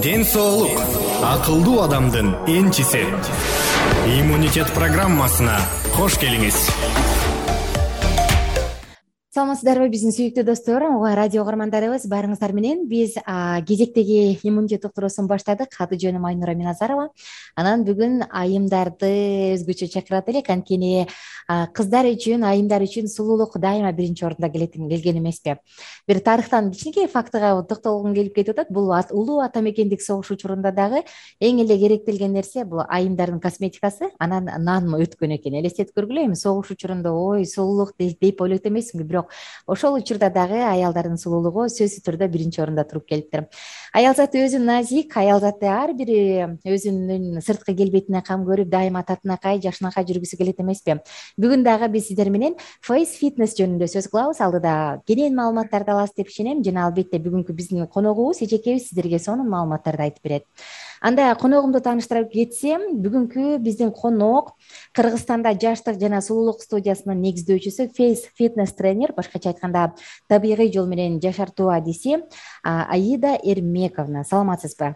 Ден соолук акылдуу адамдын энчиси. Иммунитет программасына кош келиңиз. Саламатсыздарбы биздин сүйүктүү достор, радио угармандарыбыз, баарыңыздар менен биз кезектеги иммунитет уктуруусун баштадык. Аты жөнүм Айнура Миназарова. Анан бүгүн айымдарды өзгөчө чакырат элек, анткени кыздар үчүн, айымдар үчүн сулуулук дайыма биринчи орунда келген эмеспи. Бир тарыхтан кичинекей фактыга токтолгум келип кетип атат. Бул улуу ата мекендик согуш учурунда дагы эң эле керектелген нерсе бул айымдардын косметикасы, анан нан өткөн экен. Элестетип көргүлө, эми согуш учурунда сулуулук деп ойлойт эмесминби, бирок ошол учурда дагы аялдардын сулуулугу сөзсүз түрдө биринчи орунда туруп келиптир. Аял заты өзү назик, аял заты ар бири өзүнүн сырткы келбетине кам көрүп, дайыма татынакай, жакшынакай жүргүсү келет эмеспи. Бүгүн дагы биз сиздер менен фейс фитнес жөнүндө сөз кылабыз. Алдыда кенен маалыматтарды аласыз деп ишенем жана албетте бүгүнкү биздин коногубуз, эжекебиз сиздерге сонун маалыматтарды айтып берет. Анда коногумду тааныштырып кетсем, бүгүнкү биздин конок Кыргызстанда жаштык жана сулуулук студиясынын негиздөөчүсү, фейс фитнес тренер, башкача айтканда табигый жол менен жашартуу адиси Аида Эрмековна. Саламатсызбы?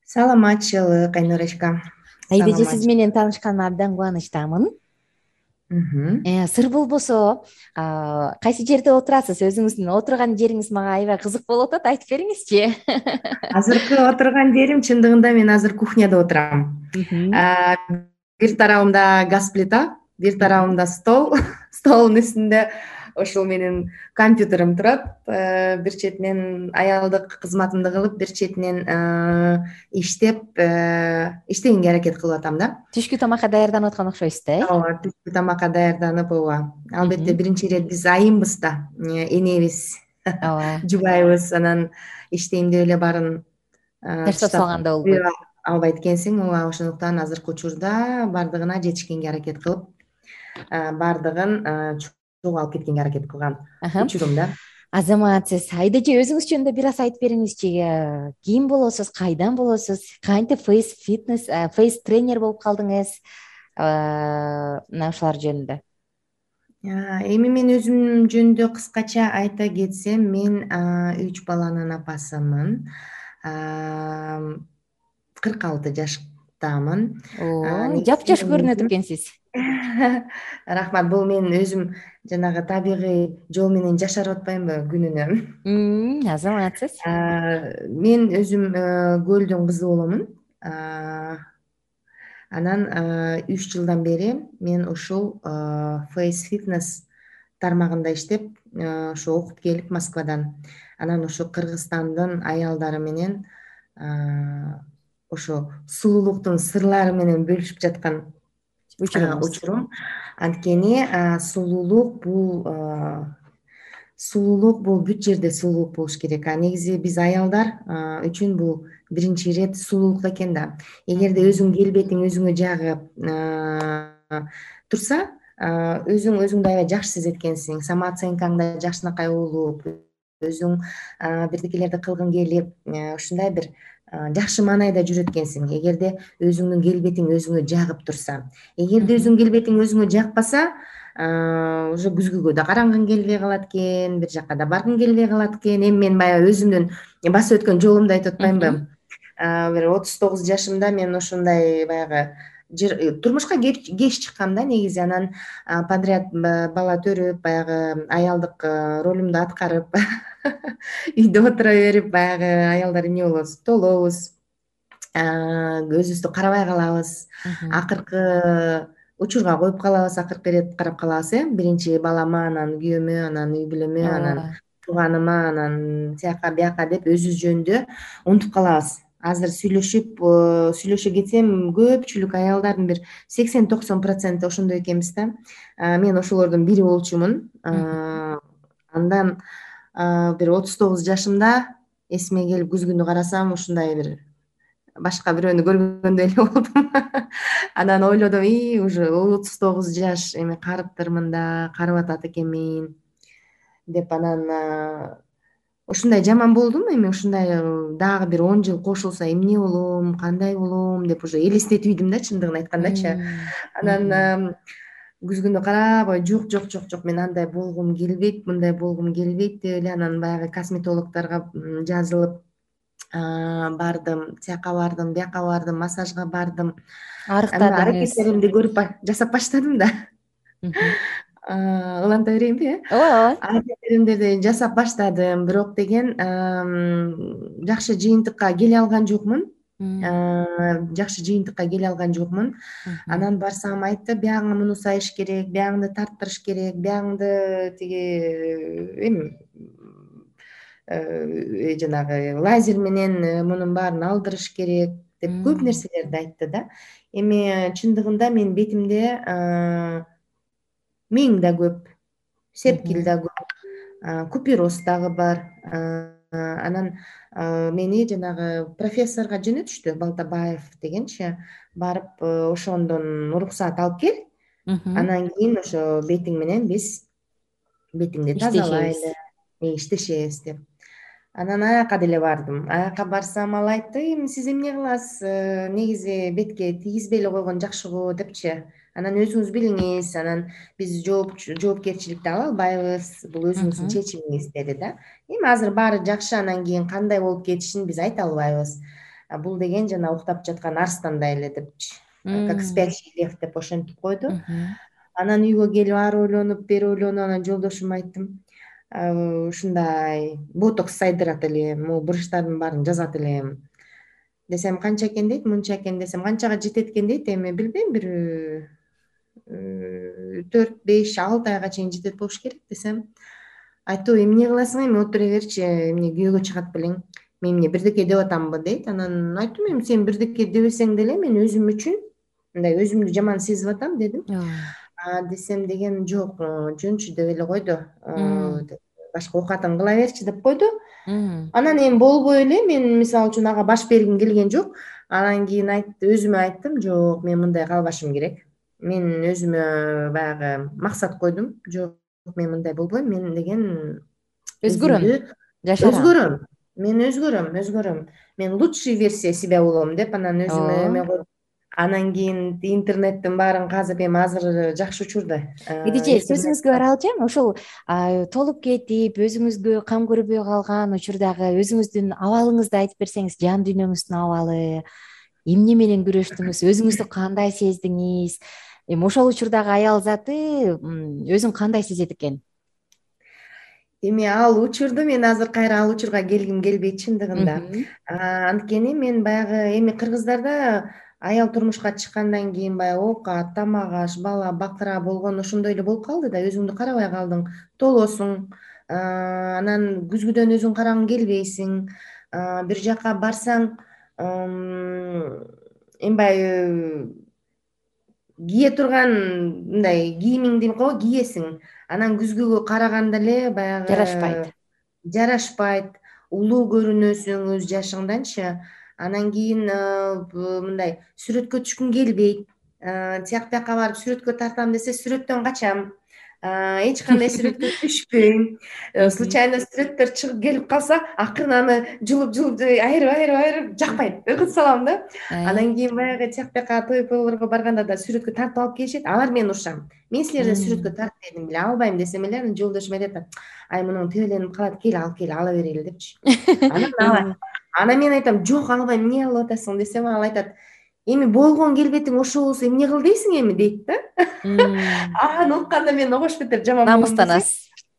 Саламатчылык, Айнурочка. Аида, сиз менен таанышканыма абдан кубанычтамын. Сыр болбосо, кайсы жерде отурасыз? Өзүңүздүн отурган жериңиз мага аябай кызык болуп атат, айтып бериңизчи. Азыркы отурган жерим чындыгында мен азыр кухняда отурам. Бир тарабымда газ плита, бир тарабымда стол, столдун үстүндө ошол менин компьютерим турат. Бир четинен аялдык кызматымды кылып, бир четинен иштегенге аракет кылып атам да. Түшкү тамакка даярданып аткан окшойсуз да, Ооба, түшкү тамакка даярданып, албетте биринчи ирет биз айымбыз да, энебиз, жубайбыз, анан иштейм деп эле баарын таштап салганда болбойт. Албайт экенсиң, ошондуктан азыркы учурда бардыгына жетишкенге аракет кылып, бардыгын чогуу алып кеткенге аракет кылган учурум да. Азаматсыз. Айдажы, өзүңүз жөнүндө бир аз айтып бериңизчи. Ким болосуз, кайдан болосуз, кантип фейс фитнес, фейс тренер болуп калдыңыз? Мына ушулар жөнүндө. Эми мен өзүм жөнүндө кыскача айта кетсем, мен 3 баланын апасымын. 46 жаштамын. Жапжаш көрүнөт экенсиз. Рахмат. Бул мен өзүм жанагы табигый жол менен жашарып атпаймынбы күнүнө? Азаматсыз. Мен өзүм көлдүн кызы боломун. Анан 3 жылдан бери мен ушул фейс фитнес тармагында иштеп, ошо окуп келип Москвадан. Анан ошо Кыргызстандын аялдары менен ошо сулуулуктун сырлары менен бөлүшүп жаткан учурум. Анткени сулуулук бул бүт жерде сулуулук болуш керек. Негизи биз аялдар үчүн бул биринчи ирет сулуулук экен да. Эгерде өзүң келбетиң өзүңө жагып турса, өзүңдү аябай жакшы сезет экенсиң, самооценкаң да жакшынакай болуп, өзүң бирдекелерди кылгың келип, ушундай бир жакшы маанайда жүрөт экенсиң. Эгерде өзүңдүн келбетиң өзүңө жагып турса. Эгерде өзүңдүн келбетиң өзүңө жакпаса, уже күзгүгө да карангың келбей калат экен, бир жакка да баргың келбей калат экен. Эми мен баягы өзүмдүн басып өткөн жолумду айтып атпаймынбы? Бир 39 жашымда мен ошондой баягы турмушка кеч чыккам да негизи. Анан подряд бала төрүп, баягы аялдык ролумду аткарып, үйдө отура берип, баягы аялдар эмне болобуз, толобуз, өзүбүздү карабай калабыз. Акыркы учурга коюп калабыз, акыркы ирет карап калабыз, биринчи балама, анан күйөөмө, анан үй бүлөмө, анан тууганыма, анан тияка бияка деп өзүбүз жөнүндө унутуп калабыз. Азыр сүйлөшө кетсем, көпчүлүк аялдардын бир 80-90% ошондой экенбиз да. Мен ошолордун бири болчумун. Андан бир 39 жашымда эсиме келип күзгүнү карасам, ушундай бир башка бирөөнү көргөндөй эле болдум. Анан ойлодум, уже 39 жаш, эми карыптырмын да, карып атат экенмин деп. Анан ушундай жаман болдум. Эми ушундай дагы бир 10 жыл кошулса эмне болом, кандай болом деп уже элестетип ийдим да, чындыгын айткандачы. Анан күзгүнү карап, жок, мен андай болгум келбейт, мындай болгум келбейт деп эле анан баягы косметологдорго жазылып, бардым, тияка бардым, бияка бардым, массажга бардым. Анан Арыктадыңыз. аракеттеримди көрүп жасап баштадым да. Уланта берейинби, ооба. аракеттеримди жасап баштадым, бирок деген жакшы жыйынтыкка келе алган жокмун. Жакшы жыйынтыкка келе алган жокмун. Анан барсам айтты, биягыңа муну сайыш керек, биягыңды тарттырыш керек, биягыңды тиги эми жанагы лазер менен мунун баарын алдырыш керек деп көп нерселерди айтты да. Эми чындыгында менин бетимде миң да көп, сепкил да көп, купероз дагы бар. Анан мени жанагы профессорго жөнөтүштү, Балтабаев дегенчи, барып ошондон уруксаат алып кел. Анан кийин ошо бетиң менен биз бетиңди тазалайлы, иштешебиз деп. Анан аяка деле бардым. Аяка барсам ал айтты, эми сиз эмне кыласыз, негизи бетке тийгизбей эле койгон жакшы го депчи. Анан өзүңүз билиңиз, анан биз жоопкерчиликти ала албайбыз, бул өзүңүздүн чечимиңиз деди да. Эми азыр баары жакшы, анан кийин кандай болуп кетишин биз айта албайбыз. Бул деген жана уктап жаткан арстандай эле депчи. Как спящий лев деп ошентип койду. Анан үйгө келип ары ойлонуп, бери ойлонуп, анан жолдошума айттым, ушундай ботокс сайдырат элем, могу брыштардын баарын жазат элем десем, канча экен дейт, мынча экен десем, канчага жетет экен дейт, эми билбейм, бир 4, 5, 6 айга чейин жетет болуш керек десем, айтты, эмне кыласың, эми отура берчи, эмне күйөөгө чыгат белең, мен эмне бирдеке деп атамбы дейт. Анан айттым, эми сен бирдеке дебесең деле мен өзүм үчүн мындай өзүмдү жаман сезип атам дедим. Десем деген жок, жөнчү деп эле койду, башка оокатын кыла берчи деп койду. Анан эми болбой эле мен мисалы үчүн ага баш бергим келген жок. Анан кийин өзүмө айттым, жок, мен мындай калбашым керек. Мен өзүмө баягы максат койдум, жок, мен мындай болбойм, мен деген өзгөрөм. Мен өзгөрөм. Мен лучший версия себя болом деп анан өзүмө эме койдум. Анан кийин интернеттин баарын казып, эми азыр жакшы учурда. Эже, сөзүңүзгө аралашайм. Ошол толуп кетип, өзүңүзгө кам көрбөй калган учурдагы өзүңүздүн абалыңызды айтып берсеңиз, жан дүйнөңүздүн абалы, эмне менен күрөштүңүз, өзүңүздү кандай сездиңиз? Эми ошол учурдагы аял заты өзүн кандай сезет экен? Эми ал учурду мен азыр кайра ал учурга келгим келбейт чындыгында. Анткени мен баягы эми кыргыздарда аял турмушка чыккандан кийин баягы оокат, тамак аш, бала, бакыра болгон ошондой эле болуп калды да, өзүңдү карабай калдың, толосуң, анан күзгүдөн өзүң карагың келбейсиң, бир жака барсаң эмбай кие турган мындай кийимиңди кийесиң, анан күзгүгө караганда эле баягы жарашпайт, улуу көрүнөсүң өз жашыңданчы. Анан кийин мындай сүрөткө түшкүң келбейт, тияк бияка барып сүрөткө тартам десе сүрөттөн качам, эч кандай сүрөткө түшпөйм. Случайно сүрөттөр чыгып келип калса, акырын аны жулуп айырып жакпайт, өкүтүп салам да. Анан кийин баягы тияк бияка той-пойлорго барганда да сүрөткө тартып алып келишет, алар менин урушам. Мен силерден сүрөткө тартып бердим беле, албайм десем эле, анан жолдошум айтат, ай мунун тебеленип калат, кел ала берели депчи. Анан мен айтам, жок, албайм, эмне алып атасың десем, ал айтат, эми болгон келбетиң ошол болсо эмне кыл дейсиң эми дейт да. Аны укканда мен огош бетер жаман болом.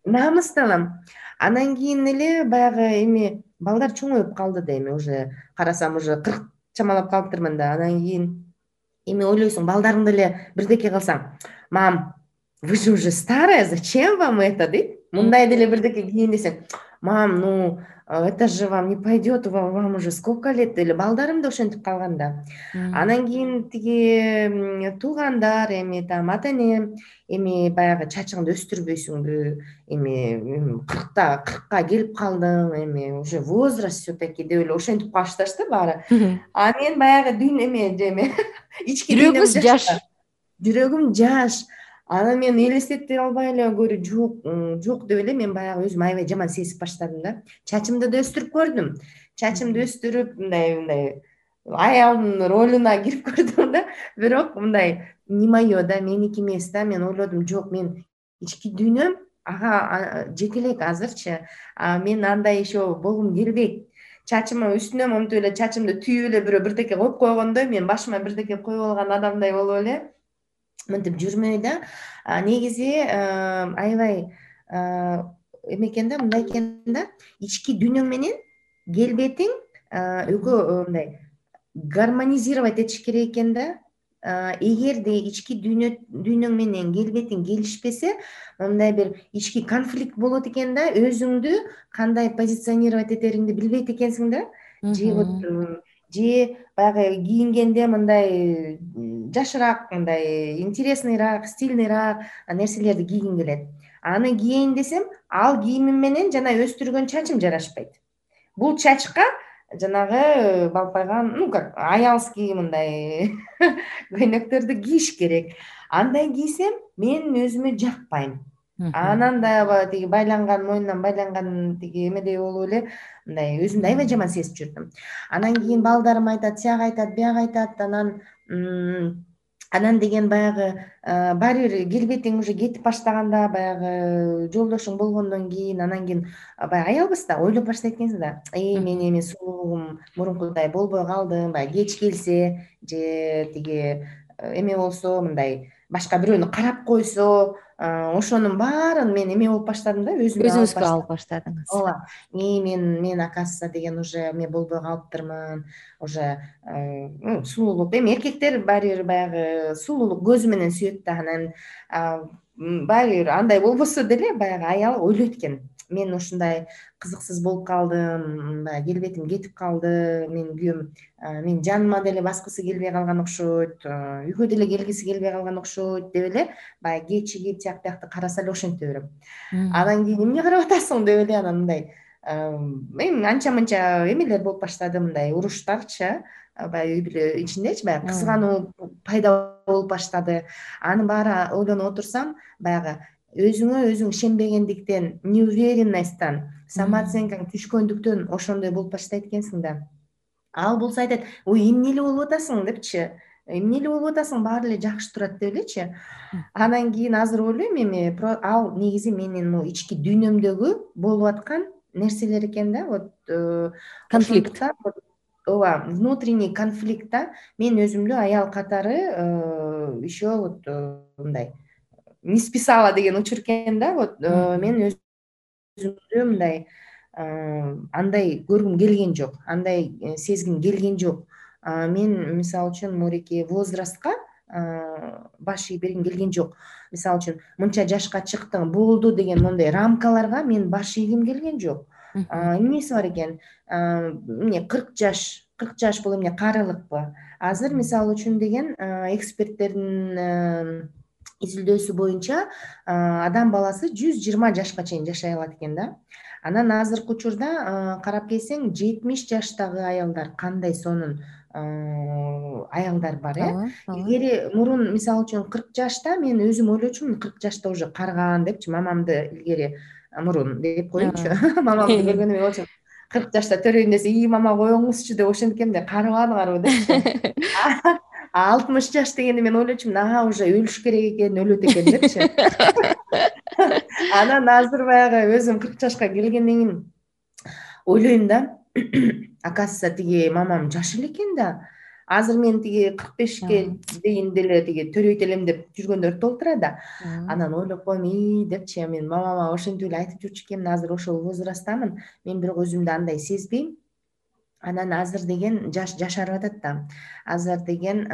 Намыстанам. Анан кийин эле баягы эми балдар чоңоюп калды да, эми уже карасам уже 40 чамалап калыптырмын да. Анан кийин эми ойлойсуң, балдарың деле бирдеке кылсаң, мам, вы же уже старая, зачем вам это дейт. Мындай деле бирдеке кийин десең, мам, ну это же вам не пойдет, вам уже сколько лет, или балдарым да ошентип калган да. Анан кийин тиги туугандар, эми там ата энем, эми баягы чачыңды өстүрбөйсүңбү, эми 40ка келип калдың, эми уже возраст все-таки деп эле ошентип калышташты баары. А мен баягы эме ички жүрөгүм жаш. Анан мен элестете албай эле жок деп эле мен баягы өзүм аябай жаман сезип баштадым да. Чачымды да өстүрүп көрдүм. Чачымды өстүрүп мындай аялдын ролуна кирип көрдүм да. Бирок мындай не мое да, меники эмес да. Мен ойлодум, жок, мен ички дүйнөм ага жете элек азырчы. Мен андай еще болгум келбейт. чачымы үстүнө монтип эле чачымды түйүп эле бирөө бирдеке коюп койгондой, мен башыма бирдеке коюп алган адамдай болуп эле мынтип жүрмөй да. Негизи аябай эме экен да, мындай экен да, ички дүйнөң менен келбетиң экөө мындай гармонизировать этиш керек экен да. Эгерде ички дүйнөң менен келбетиң келишпесе, мындай бир ички конфликт болот экен да, өзүңдү кандай позиционировать этериңди билбейт экенсиң да. Же баягы кийингенде мындай жашыраак, мындай интересныйраак, стильныйраак нерселерди кийгиң келет. Аны кийейин десем, ал кийимим менен жана өстүргөн чачым жарашпайт. Бул чачка жанагы балпайган, как аялский мындай көйнөктөрдү кийиш керек. Андай кийсем мен өзүмө жакпайм. Анан да тиги байланган, мойнунан байланган тиги эмедей болуп эле мындай өзүмдү аябай жаман сезип жүрдүм. Анан кийин балдарым айтат, сияга айтат, бияга айтат, анан деген баягы баары бир келбетиң уже кетип баштаганда, баягы жолдошуң болгондон кийин, анан кийин баягы аялбыз да, ойлоп баштайт экенсиң да. Мен эми сулуулугум мурункудай болбой калдым, баягы кеч келсе же тиги эме болсо, мындай башка бирөөнү карап койсо, ошонун баарын мен эме болуп баштадым да, өзүңүзгө алып баштадыңыз. Ооба. Мен оказывается деген уже эме болбой калыптырмын, уже сулуулук. Эми эркектер баары бир баягы сулуулук көзү менен сүйөт да, анан баары бир андай болбосо деле баягы аял ойлойт экен. Мен ушундай кызыксыз болуп калдым, баягы келбетим кетип калды, менин күйөөм менин жаныма деле баскысы келбей калган окшойт, үйгө деле келгиси келбей калган окшойт деп эле баягы кечигип тияк биякты караса эле ошентип берем. Анан кийин эмне карап атасың деп эле анан мындай эми анча мынча эмелер болуп баштады, мындай уруштарчы, баягы үй бүлө ичиндечи баягы кызгануу пайда болуп баштады. Анын баары ойлонуп отурсам, баягы өзүңө өзүң ишенбегендиктен, неуверенностьтан, самооценкаң түшкөндүктөн ошондой болуп баштайт экенсиң да. Ал болсо айтат, ой эмне эле болуп атасың депчи, эмне эле болуп атасың, баары эле жакшы турат деп элечи. Анан кийин азыр ойлойм, эми ал негизи менин могу ички дүйнөмдөгү болуп аткан нерселер экен да, вот конфликт. Ооба, внутренний конфликт да. Мен өзүмдү аял катары еще вот мындай не списала деген учур экен да. Вот мен өзүмдү мындай андай көргүм келген жок, андай сезгим келген жок. Мен мисалы үчүн мореки возрастка баш ийип бергим келген жок. Мисалы үчүн мынча жашка чыктың, болду деген мондай рамкаларга мен баш ийгим келген жок. Эмнеси бар экен? Эмне 40 жаш бул эмне карылыкпы? Азыр мисалы үчүн деген эксперттердин изилдөөсү боюнча адам баласы 120 жашка чейин жашай алат экен да. Анан азыркы учурда карап келсең 70 жаштагы аялдар кандай сонун аялдар бар, Илгери мурун мисалы үчүн 40 жашта мен өзүм ойлочумун, 40 жашта уже карган депчи, мамамды илгери мурун деп коеюнчу. Мамамды көргөндө мен ойлочумун, 40 жашта төрөйүн десе, мама коюңузчу деп ошенткем да, карыбадыңарбы депчи. 60 жаш дегенде мен ойлочумун, уже өлүш керек экен, өлөт экен депчи. Анан азыр баягы өзүм 40 жашка келгенден кийин ойлойм да, оказывается тиги мамам жаш эле экен да. Азыр мен тиги 45ке дейин деле тиги төрөйт элем деп жүргөндөр толтура да. Анан ойлоп коем, депчи, мен мамама ошентип эле айтып жүрчү экенмин, азыр ошол возрасттамын, мен бирок өзүмдү андай сезбейм. Анан азыр деген жашарып атат да. Азыр деген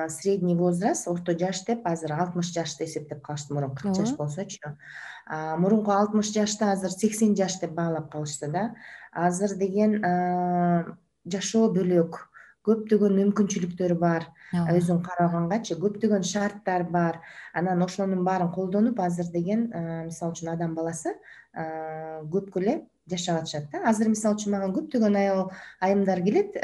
средний возраст, орто жаш деп азыр 60 жашты эсептеп калышты, мурун 40 жаш болсочу. Мурунку 60 жашты азыр 80 жаш деп баалап калышты да. Азыр деген жашоо бөлөк, көптөгөн мүмкүнчүлүктөр бар. Өзүң карагангачы көптөгөн шарттар бар. Анан ошонун баарын колдонуп азыр деген мисалы үчүн адам баласы көпкө эле жашап атышат да. Азыр мисалы үчүн мага көптөгөн айымдар келет.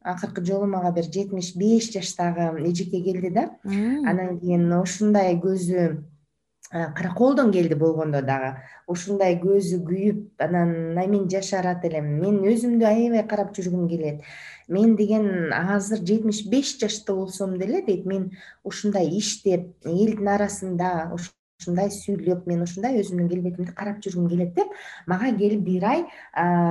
Акыркы жолу мага бир 75 жаштагы эжеке келди да. Анан кийин ушундай көзү караколдон келди болгондо дагы. Ушундай көзү күйүп, анан мен жашарат элем. Мен өзүмдү аябай карап жүргүм келет. Мен деген азыр 75 жашта болсом деле дейт, мен ушундай иштеп, элдин арасында ушундай сүйлөп, мен ушундай өзүмдүн келбетимди карап жүргүм келет деп мага келип 1 ай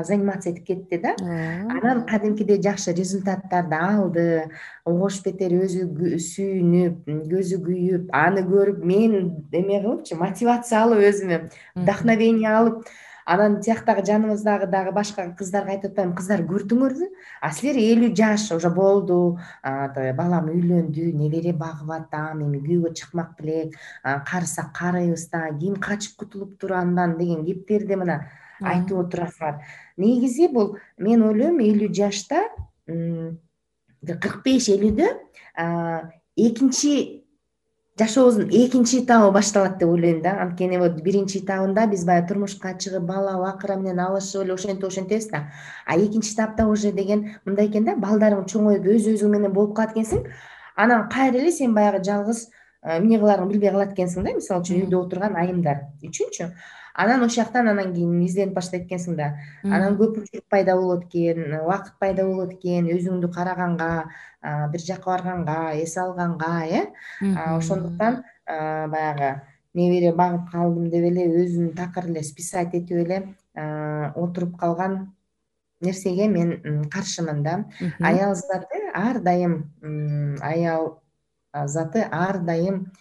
занимация этип кетти да. Анан кадимкидей жакшы результаттарды алды. Ош бетер өзү сүйүнүп, көзү күйүп, аны көрүп мен эме кылыпчы, мотивация алып өзүмө вдохновение алып, анан тияктагы жаныбыздагы дагы башка кыздарга айтып атпаймынбы, кыздар көрдүңөрбү, а силер 50 жаш уже болду, балам үйлөндү, небере багып атам, эми күйөөгө чыкмак белек, карысак карыйбыз да, ким качып кутулуптур андан деген кептерди мына айтып отурасыңар. Негизи бул мен ойлойм 50 жашта 45-50дө экинчи жашообуздун экинчи этабы башталат деп ойлойм да. Анткени вот биринчи этабында биз баягы турмушка чыгып, бала бакыра менен алышып эле ошентебиз да. А экинчи этапта уже деген мындай экен да, балдарың чоңоюп өзүң менен болуп калат экенсиң. Анан кайра эле сен баягы жалгыз эмне кыларыңды билбей калат экенсиң да, мисалы үчүн үйдө отурган айымдар үчүнчү. Анан ошол жактан анан кийин изденип баштайт экенсиң да. Анан көпүрчүлүк пайда болот экен, убакыт пайда болот экен, өзүңдү караганга, бир жака барганга, эс алганга, ошондуктан баягы небере багып калдым деп эле өзүм такыр эле списать этип эле отуруп калган нерсеге мен каршымын да. Аял заты ар дайым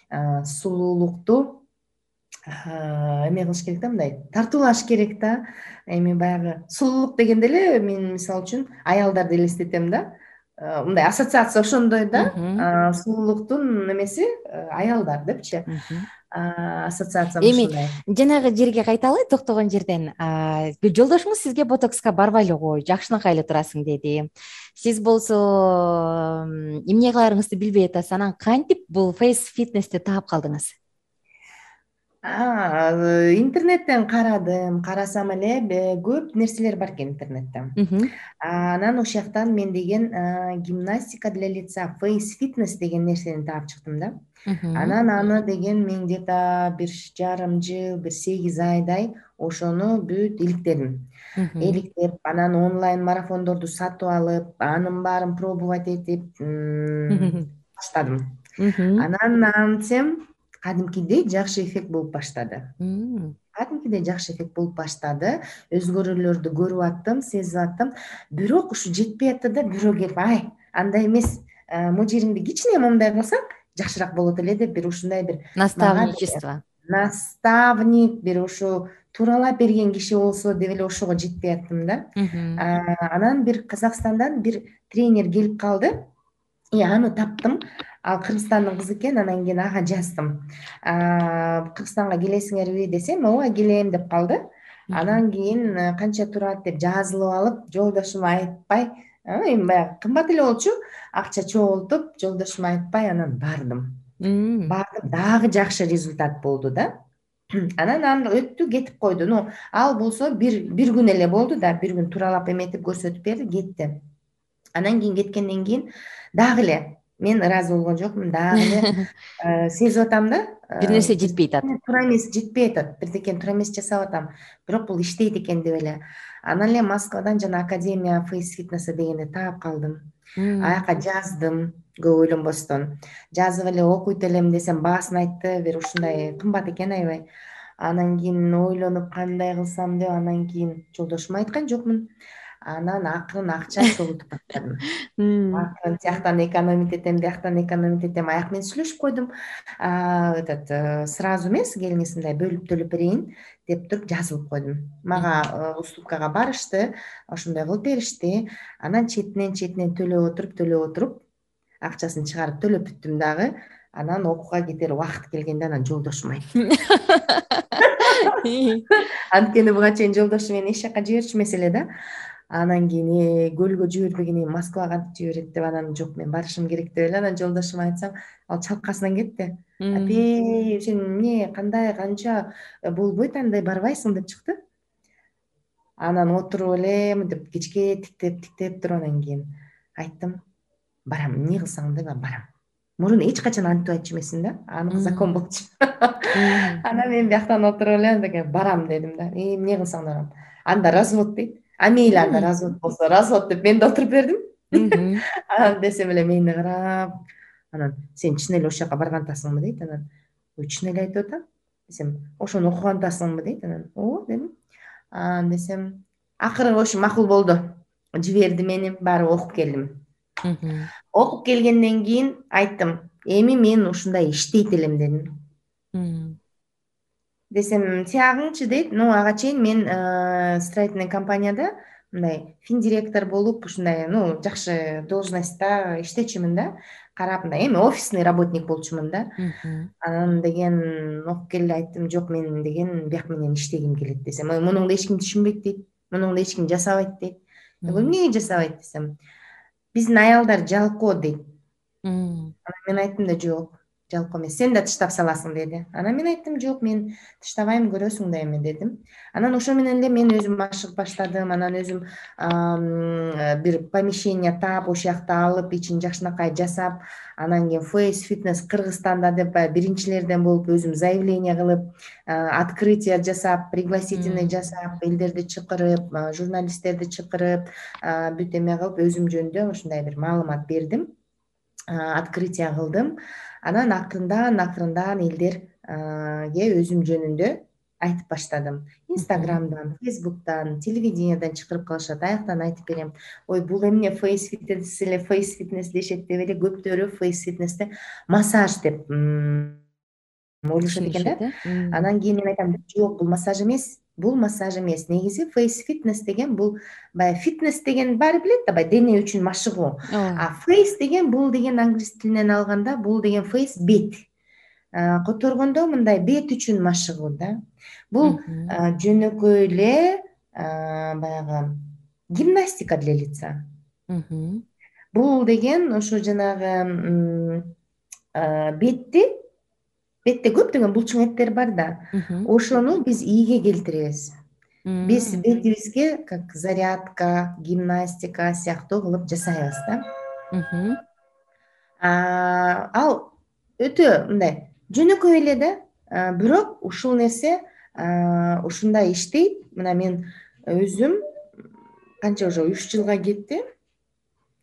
сулуулукту эме кылыш керек да, мындай тартуулаш керек да. Эми баягы сулуулук дегенде эле мен мисалы үчүн аялдарды элестетем да. Мындай ассоциация ошондой да. Сулуулуктун эмеси аялдар депчи. Ассоциациям ушундай. Эми жанагы жерге кайталы, токтогон жерден. Жолдошуңуз сизге ботокска барбай эле кой, жакшынакай эле турасың деди. Сиз болсо эмне кыларыңызды билбей атасыз. Анан кантип бул фейс фитнести таап калдыңыз? Интернеттен карасам эле көп нерселер бар экен интернетте. Анан ошол жактан мен деген гимнастика для лица, фейс фитнес деген нерсени таап чыктым да. Анан аны деген мен где-то 1,5 жыл, 1-8 айдай ошону бүт иликтедим. Иликтеп, анан онлайн марафондорду сатып алып, анын баарын пробовать этип баштадым. Анан антсем кадимкидей жакшы эффект болуп баштады. Өзгөрүүлөрдү көрүп аттым, сезип аттым. Бирок ушу жетпей атты да, бирөө келип, андай эмес, могу жериңди кичине мындай кылсаң жакшыраак болот эле деп бир ушундай бир наставник, бир ушу тууралап берген киши болсо деп эле ошого жетпей аттым да. Анан бир Казакстандан бир тренер келип калды. Аны таптым. Ал Кыргызстандын кызы экен. Анан кийин ага жаздым. Кыргызстанга келесиңерби десем, ооба келем деп калды. Анан кийин канча турат деп жазылып алып, жолдошума айтпай, эми баягы кымбат эле болчу, акча чогултуп, жолдошума айтпай анан бардым. Дагы жакшы результат болду да. Анан өттү, кетип койду. Ал болсо бир күн эле болду да, бир күн туралап эметип көрсөтүп берди, кетти. Анан кийин кеткенден кийин дагы эле мен ыраазы болгон жокмун, дагы эле сезип атам да. Бир нерсе жетпей атат. Туура эмес, жетпей атат. Бирдекен туура эмес жасап атам. Бирок бул иштейт экен деп эле. Анан эле Москвадан жана Академия фейс фитнеса дегенди таап калдым. Аяка жаздым, көп ойлонбостон. Жазып эле окуйт элем десем, баасын айтты, бир ушундай кымбат экен аябай. Анан кийин ойлонуп кандай кылсам деп, анан кийин жолдошума айткан жокмун. Анан акырын акча чогултуп баштадым. Акырын тияктан экономить этем, бияктан экономить этем. Аяк менен сүйлөшүп койдум. Сразу эмес, келиңиз мындай бөлүп төлөп берейин деп туруп жазылып койдум. Мага уступкага барышты, ошондой кылып беришти. Анан четинен төлөп отуруп, акчасын чыгарып төлөп бүттүм дагы. Анан окууга кетер убакыт келгенде анан жолдошум айтты. Анткени буга чейин жолдошум мени эч жака жиберчү эмес эле да. Анан кийин көлгө жибербеген, Москвага кантип жиберет деп, анан жок, мен барышым керек деп эле анан жолдошума айтсам, ал чалкасынан кетти. Апей, сен эмне, кандай, канча болбойт, андай барбайсың деп чыкты. Анан отуруп эле мынтип кечке тиктеп туруп, анан кийин айттым, барам, эмне кылсаң да барам. Мурун эч качан антип айтчу эмесмин да, анык закон болчу. Анан мен бияктан отуруп эле барам дедим да. Эмне кылсаң да барам. Анда развод дейт. Мейли, анда развод болсо развод деп мен да отуруп бердим. Анан десем эле мени карап, анан сен чын эле ошол жака барган атасыңбы дейт. Анан чын эле айтып атам. десем, ошону окуган атасыңбы дейт. Анан ооба дедим. Десем, акыры в общем макул болду. Жиберди мени, барып окуп келдим. Окуп келгенден кийин айттым, эми мен ушундай иштейт элем дедим. Десем, тиягыңчы дейт. Ага чейин мен строительный компанияда мындай финдиректор болуп, ушундай жакшы должностьта иштечүмүн да. Карап мындай эми офисный работник болчумун да. Анан деген окуп келди, айттым, жок, мен деген бияк менен иштегим келет десем, мунуңду эч ким түшүнбөйт дейт. Мунуңду эч ким жасабайт дейт. Эмне жасабайт десем, биздин аялдар жалкоо дейт. Анан мен айттым да, жок, жалкоо эмес, сен да тыштап саласың деди. Анан мен айттым, жок, мен тыштабайм, көрөсүң да эми дедим. Анан ошо менен эле мен өзүм ашыгып баштадым. Анан өзүм бир помещение таап, ошол жакта алып, ичин жакшынакай жасап, анан кийин Face Fitness Кыргызстанда деп биринчилерден болуп өзүм заявление кылып, открытие жасап, пригласительный жасап, элдерди чакырып, журналисттерди чакырып, бүт эме кылып, өзүм жөнүндө ушундай бир маалымат бердим. Открытие кылдым. Анан акырындан элдерге өзүм жөнүндө айтып баштадым. Инстаграмдан, Фейсбуктан, телевидениядан чакырып калышат. Аяктан айтып берем. Ой, бул эмне Face Fitness эле, Face Fitness дешет деп эле көптөрү Face Fitness'те массаж деп ойлошот экен да. Анан кийин мен айтам, жок, бул массаж эмес. Бул массаж эмес. Негизи Face Fitness деген бул баягы фитнес деген баары билет да, баягы дене үчүн машыгуу. Face деген бул деген англис тилинен алганда бул деген face бет. Которгондо мындай бет үчүн машыгуу да. Бул жөнөкөй эле баягы гимнастика для лица. Бул деген ошо жанагы бетте көптөгөн булчуң эттер бар да. Ошону биз ийге келтиребиз. Биз бетибизге как зарядка, гимнастика сыяктуу кылып жасайбыз да. Ал өтө мындай жөнөкөй эле да. Бирок ушул нерсе ушундай иштейт. Мына мен өзүм канча уже 3 жылга кетти.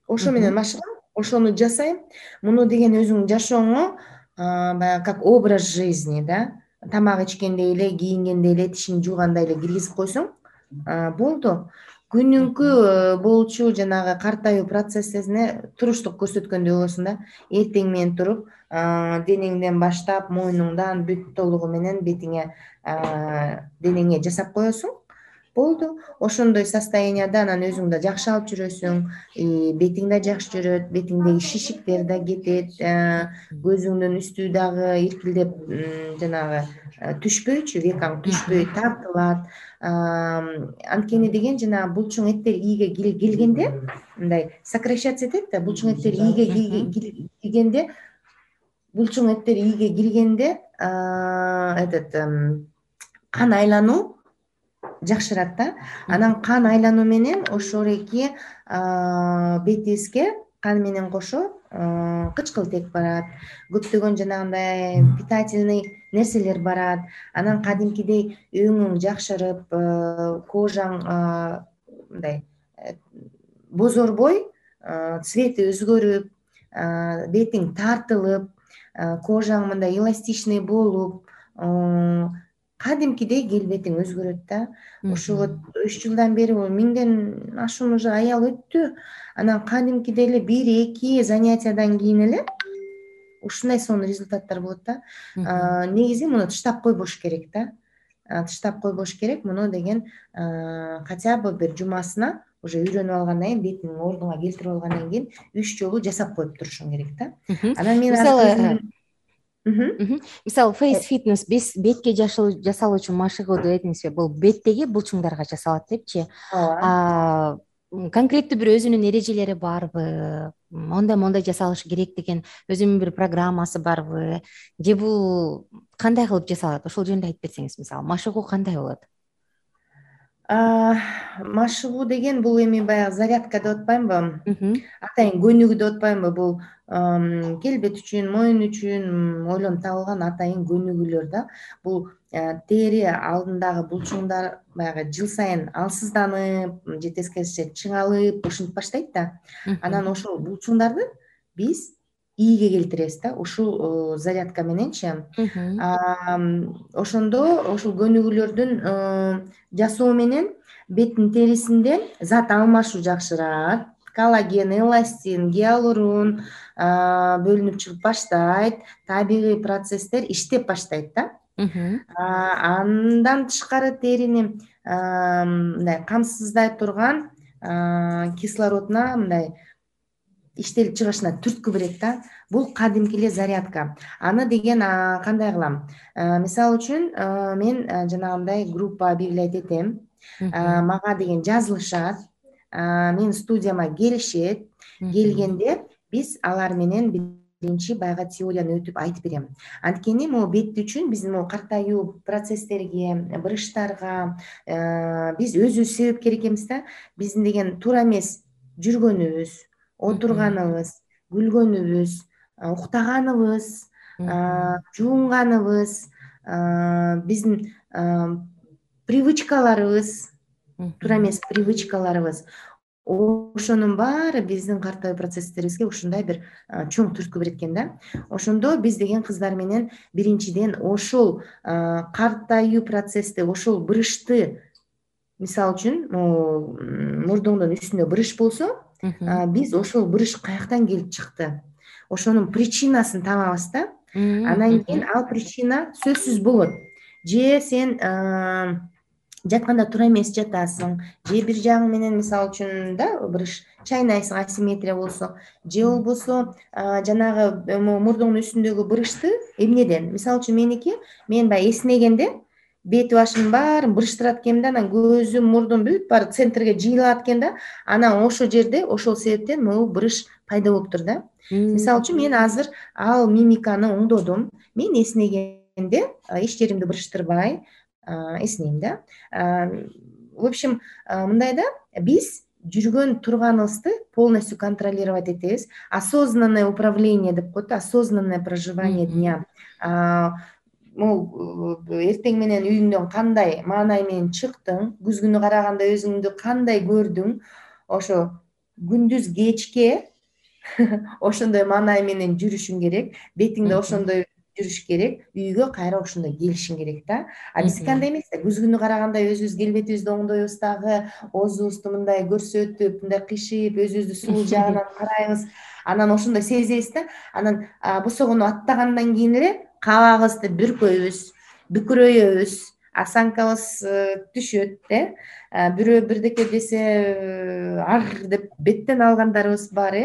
Ошо менен машыгам, ошону жасайм. Муну деген өзүң жашооңо баягы как образ жизни да. Тамак ичкенде эле, кийингенде эле, тишиңди жууганда эле киргизип койсоң болду. Күнүмкү болчу жанагы картаюу процессине туруштук көрсөткөндөй болосуң да. Эртең менен туруп, денеңден баштап, мойнуңдан бүт толугу менен бетиңе, денеңе жасап коесуң. Болду. Ошондой состоянияда анан өзүң да жакшы алып жүрөсүң, бетиң да жакшы жүрөт, бетиңдеги шишиктер да кетет, көзүңдүн үстү дагы иркилдеп жанагы түшпөйчү, векаң түшпөй, тартылат. Анткени деген жанагы булчуң эттер ийге келгенде, мындай сокращаться этет да, булчуң эттер ийге киргенде, кан айлануу жакшырат да. Анан кан айлануу менен ошореки бетибизге кан менен кошо кычкылтек барат, көптөгөн жанагындай питательный нерселер барат. Анан кадимкидей өңүң жакшырып, кожаң мындай бозорбой, цвети өзгөрүп, бетиң тартылып, кожаң мындай эластичный болуп, кадимкидей келбетиң өзгөрөт да. Ошо 3 жылдан бери 1000ден ашуун уже аял өттү. Анан кадимкидей эле 1-2 занятиядан кийин эле ушундай сонун результаттар болот да. Негизи муну тыштап койбош керек да. Тыштап койбош керек. Муну деген хотя бы бир жумасына уже үйрөнүп алгандан кийин, бетиңди ордуңа келтирип алгандан кийин 3 жолу жасап коюп турушуң керек да. Анан мен мисалы Face Fitness бетке жасалуучу машыгуу деп этиңизби? Бул беттеги булчуңдарга жасалат депчи. Конкреттүү бир өзүнүн эрежелери барбы? Мондай жасалышы керек деген өзүнүн бир программасы барбы? Же бул кандай кылып жасалат? Ошол жөнүндө айтып берсеңиз, мисалы, машыгуу кандай болот? Машыгуу деген бул эми баягы зарядка деп атпаймынбы? Атайын көнүгүү деп атпаймынбы? Бул келбет үчүн, моюн үчүн ойлонуп табылган атайын көнүгүүлөр да. Бул тери алдындагы булчуңдар баягы жыл сайын алсызданып, же тескерисинче чыңалып, ушинтип баштайт да. Анан ошол булчуңдарды биз ийге келтиребиз да ушул зарядка мененчи. Ошондо ушул көнүгүүлөрдүн жасоо менен беттин терисинде зат алмашуу жакшырат. Коллаген, эластин, гиалурон бөлүнүп чыгып баштайт. Табигый процесстер иштеп баштайт да. Андан тышкары терини мындай камсыздай турган кислородуна мындай иштелип чыгышына түрткү берет да. Бул кадимки эле зарядка. Аны деген кандай кылам? Мисалы үчүн мен жанагындай группа объявлять этем. Мага деген жазылышат. Менин студияма келишет. Келгенде биз алар менен биринчи баягы теорияны өтүп айтып берем. Анткени могу бет үчүн биздин могу картаюу процесстерге, брыштарга биз өзүбүз себепкер экенбиз да. Биздин деген туура эмес жүргөнүбүз, отурганыбыз, күлгөнүбүз, уктаганыбыз, жуунганыбыз, биздин привычкаларыбыз, туура эмес привычкаларыбыз. Ошонун баары биздин картоо процесстерибизге ушундай бир чоң түрткү берет экен да. Ошондо биз деген кыздар менен биринчиден ошол картаюу процессти, ошол брышты, мисалы үчүн мурдуңдун үстүндө брыш болсо, биз ошол брыш каяктан келип чыкты, ошонун причинасын табабыз да. Анан кийин ал причина сөзсүз болот. Же сен жатканда туура эмес жатасың, же бир жагың менен мисалы үчүн да брыш чайнайсың, асимметрия болсо, же болбосо жанагы мурдуңдун үстүндөгү брышты эмнеден, мисалы үчүн меники, мен баягы эснегенде бет башымдын баарын брыштырат экенмин да, анан көзүм, мурдум бүт баары центрге жыйылат экен да, анан ошол жерде ошол себептен могу брыш пайда болуптур да. Мисалы үчүн мен азыр ал мимиканы оңдодум. Мен эснегенде эч жеримди брыштырбай эснейм да. В общем, мындай да, биз жүргөн турганыбызды полностью контролировать этебиз. Осознанное управление деп коет, осознанное проживание дня. Могу эртең менен үйүңдөн кандай маанай менен чыктың, күзгүнү караганда өзүңдү кандай көрдүң, ошо күндүз кечке ошондой маанай менен жүрүшүң керек, бетиңде ошондой жүрүш керек, үйгө кайра ошондой келишиң керек да. Биздики андай эмес да, күзгүнү караганда өзүбүз келбетибизди оңдойбуз дагы, оозубузду мындай көрсөтүп, мындай кыйшыйып, өзүбүздү сулуу жагынан карайбыз. Анан ошондой сезебиз да. Анан босогону аттагандан кийин эле кабагыбызды бүркөйбүз, бүкүрөйбүз, осанкабыз түшөт да. Бирөө бирдеке десе ар деп беттен алгандарыбыз бар,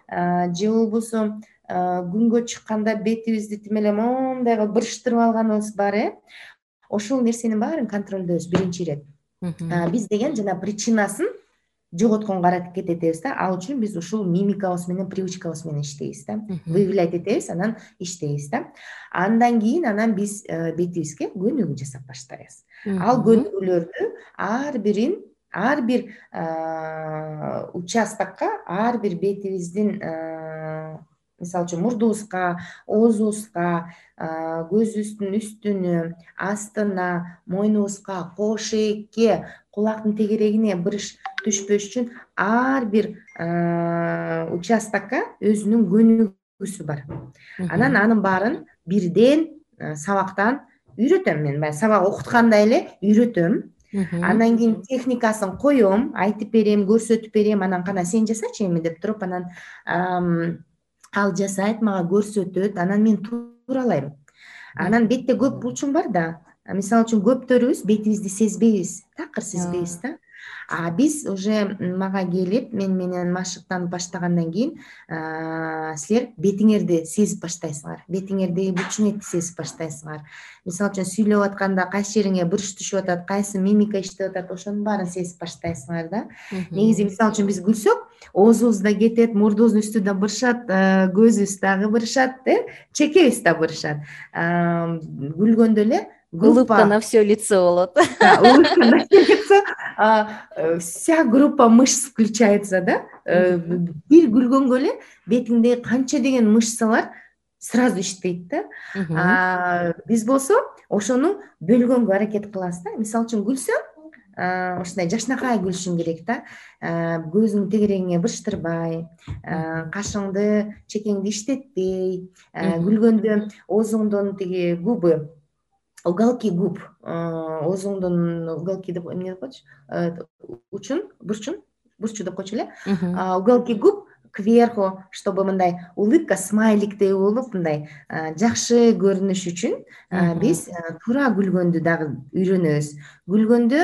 же болбосо күнгө чыкканда бетибизди тим эле моундай кылып брыштырып алганыбыз бар. Ошол нерсенин баарын контролдойбуз биринчи ирет. Биз деген жана причинасын жоготконго аракет этебиз да. Ал үчүн биз ушул мимикабыз менен, привычкабыз менен иштейбиз да. Выявлять этебиз, анан иштейбиз да. Андан кийин анан биз бетибизге көнүгүү жасап баштайбыз. Ал көнүгүүлөрдү ар бир участокко, ар бир бетибиздин мисалы үчүн мурдубузга, оозубузга, көзүбүздүн үстүнө, астына, мойнубузга, кош ээкке, кулактын тегерегине брыш түшпөш үчүн ар бир участокко өзүнүн көнүгүүсү бар. Анан анын баарын бирден сабактан үйрөтөм мен. Баягы сабак окуткандай эле үйрөтөм. Андан кийин техникасын коем, айтып берем, көрсөтүп берем. Анан кана сен жасачы эми деп туруп, анан ал жасайт, мага көрсөтөт, анан мен тууралайм. Анан бетте көп булчуң бар да. Мисалы үчүн көптөрүбүз бетибизди сезбейбиз, такыр сезбейбиз да. Биз уже мага келип, мен менен машыктанып баштагандан кийин силер бетиңерди сезип баштайсыңар. Бетиңердеги булчуң сезип баштайсыңар. Мисалы үчүн сүйлөп атканда кайсы жериңе брыш түшүп атат, кайсы мимика иштеп атат, ошонун баарын сезип баштайсыңар да. Негизи мисалы үчүн биз күлсөк, оозубуз да кетет, мурдубуздун үстү да бырышат, көзүбүз дагы бырышат, чекебиз да бырышат. Күлгөндө эле улыбка на все лицо болот. Улыбка на все лицо. Вся группа мышц включается, да. Бир күлгөнгө эле бетиңдеги канча деген мышцалар сразу иштейт да. Биз болсо ошону бөлгөнгө аракет кылабыз да. Мисалы үчүн күлсөм, ушундай жакшынакай күлүшүң керек да. Көзүңдү тегерегиңе бырыштырбай, кашыңды чекеңди иштетпей, күлгөндө оозуңдун тиги губы, уголки губ, оозуңдун уголки деп эмне деп коечу, бурчу деп койчу эле, уголки губ кверху, чтобы мындай улыбка, смайликтей болуп, мындай жакшы көрүнүш үчүн биз туура күлгөндү дагы үйрөнөбүз. Күлгөндө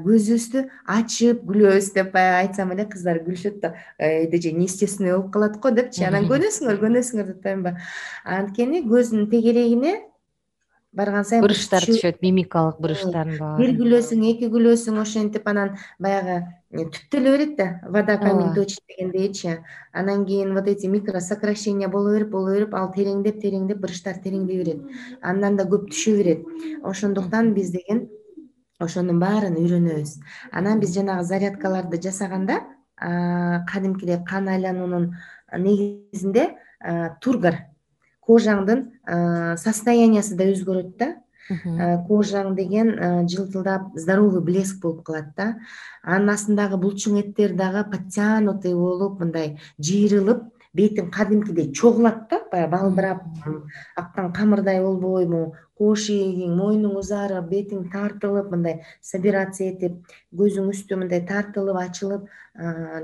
көзүбүздү ачып күлөбүз деп айтсам эле, кыздар күлүшөт да, эже неестественный болуп калат го депчи, анан көнөсүңөр деп атпаймынбы. Анткени көздүн тегерегине барган сайын буручтар түшөт, мимикалык буручтардын бир баары. күлөсүң, эки күлөсүң, ошентип анан баягы түптөлө берет да, вода камень точит дегендейчи. Анан кийин вот эти микросокращения боло берип, ал тереңдеп буручтар тереңдей берет. Андан да көп түшө берет. Ошондуктан биз деген ошонун баарын үйрөнөбүз. Анан биз жанагы зарядкаларды жасаганда кадимкидей кан айлануунун негизинде тургар, кожаңдын состояниясы да өзгөрөт да. Кожаң деген жылтылдап, здоровый блеск болуп калат да. Анын астындагы булчуң эттер дагы подтянутый болуп, мындай жыйрылып, бетиң кадимкидей чогулат да, баягы балбырап, аккан камырдай болбойбу, кош ийгиң, мойнуң узарып, бетиң тартылып, мындай собираться этип, көзүң үстү мындай тартылып, ачылып,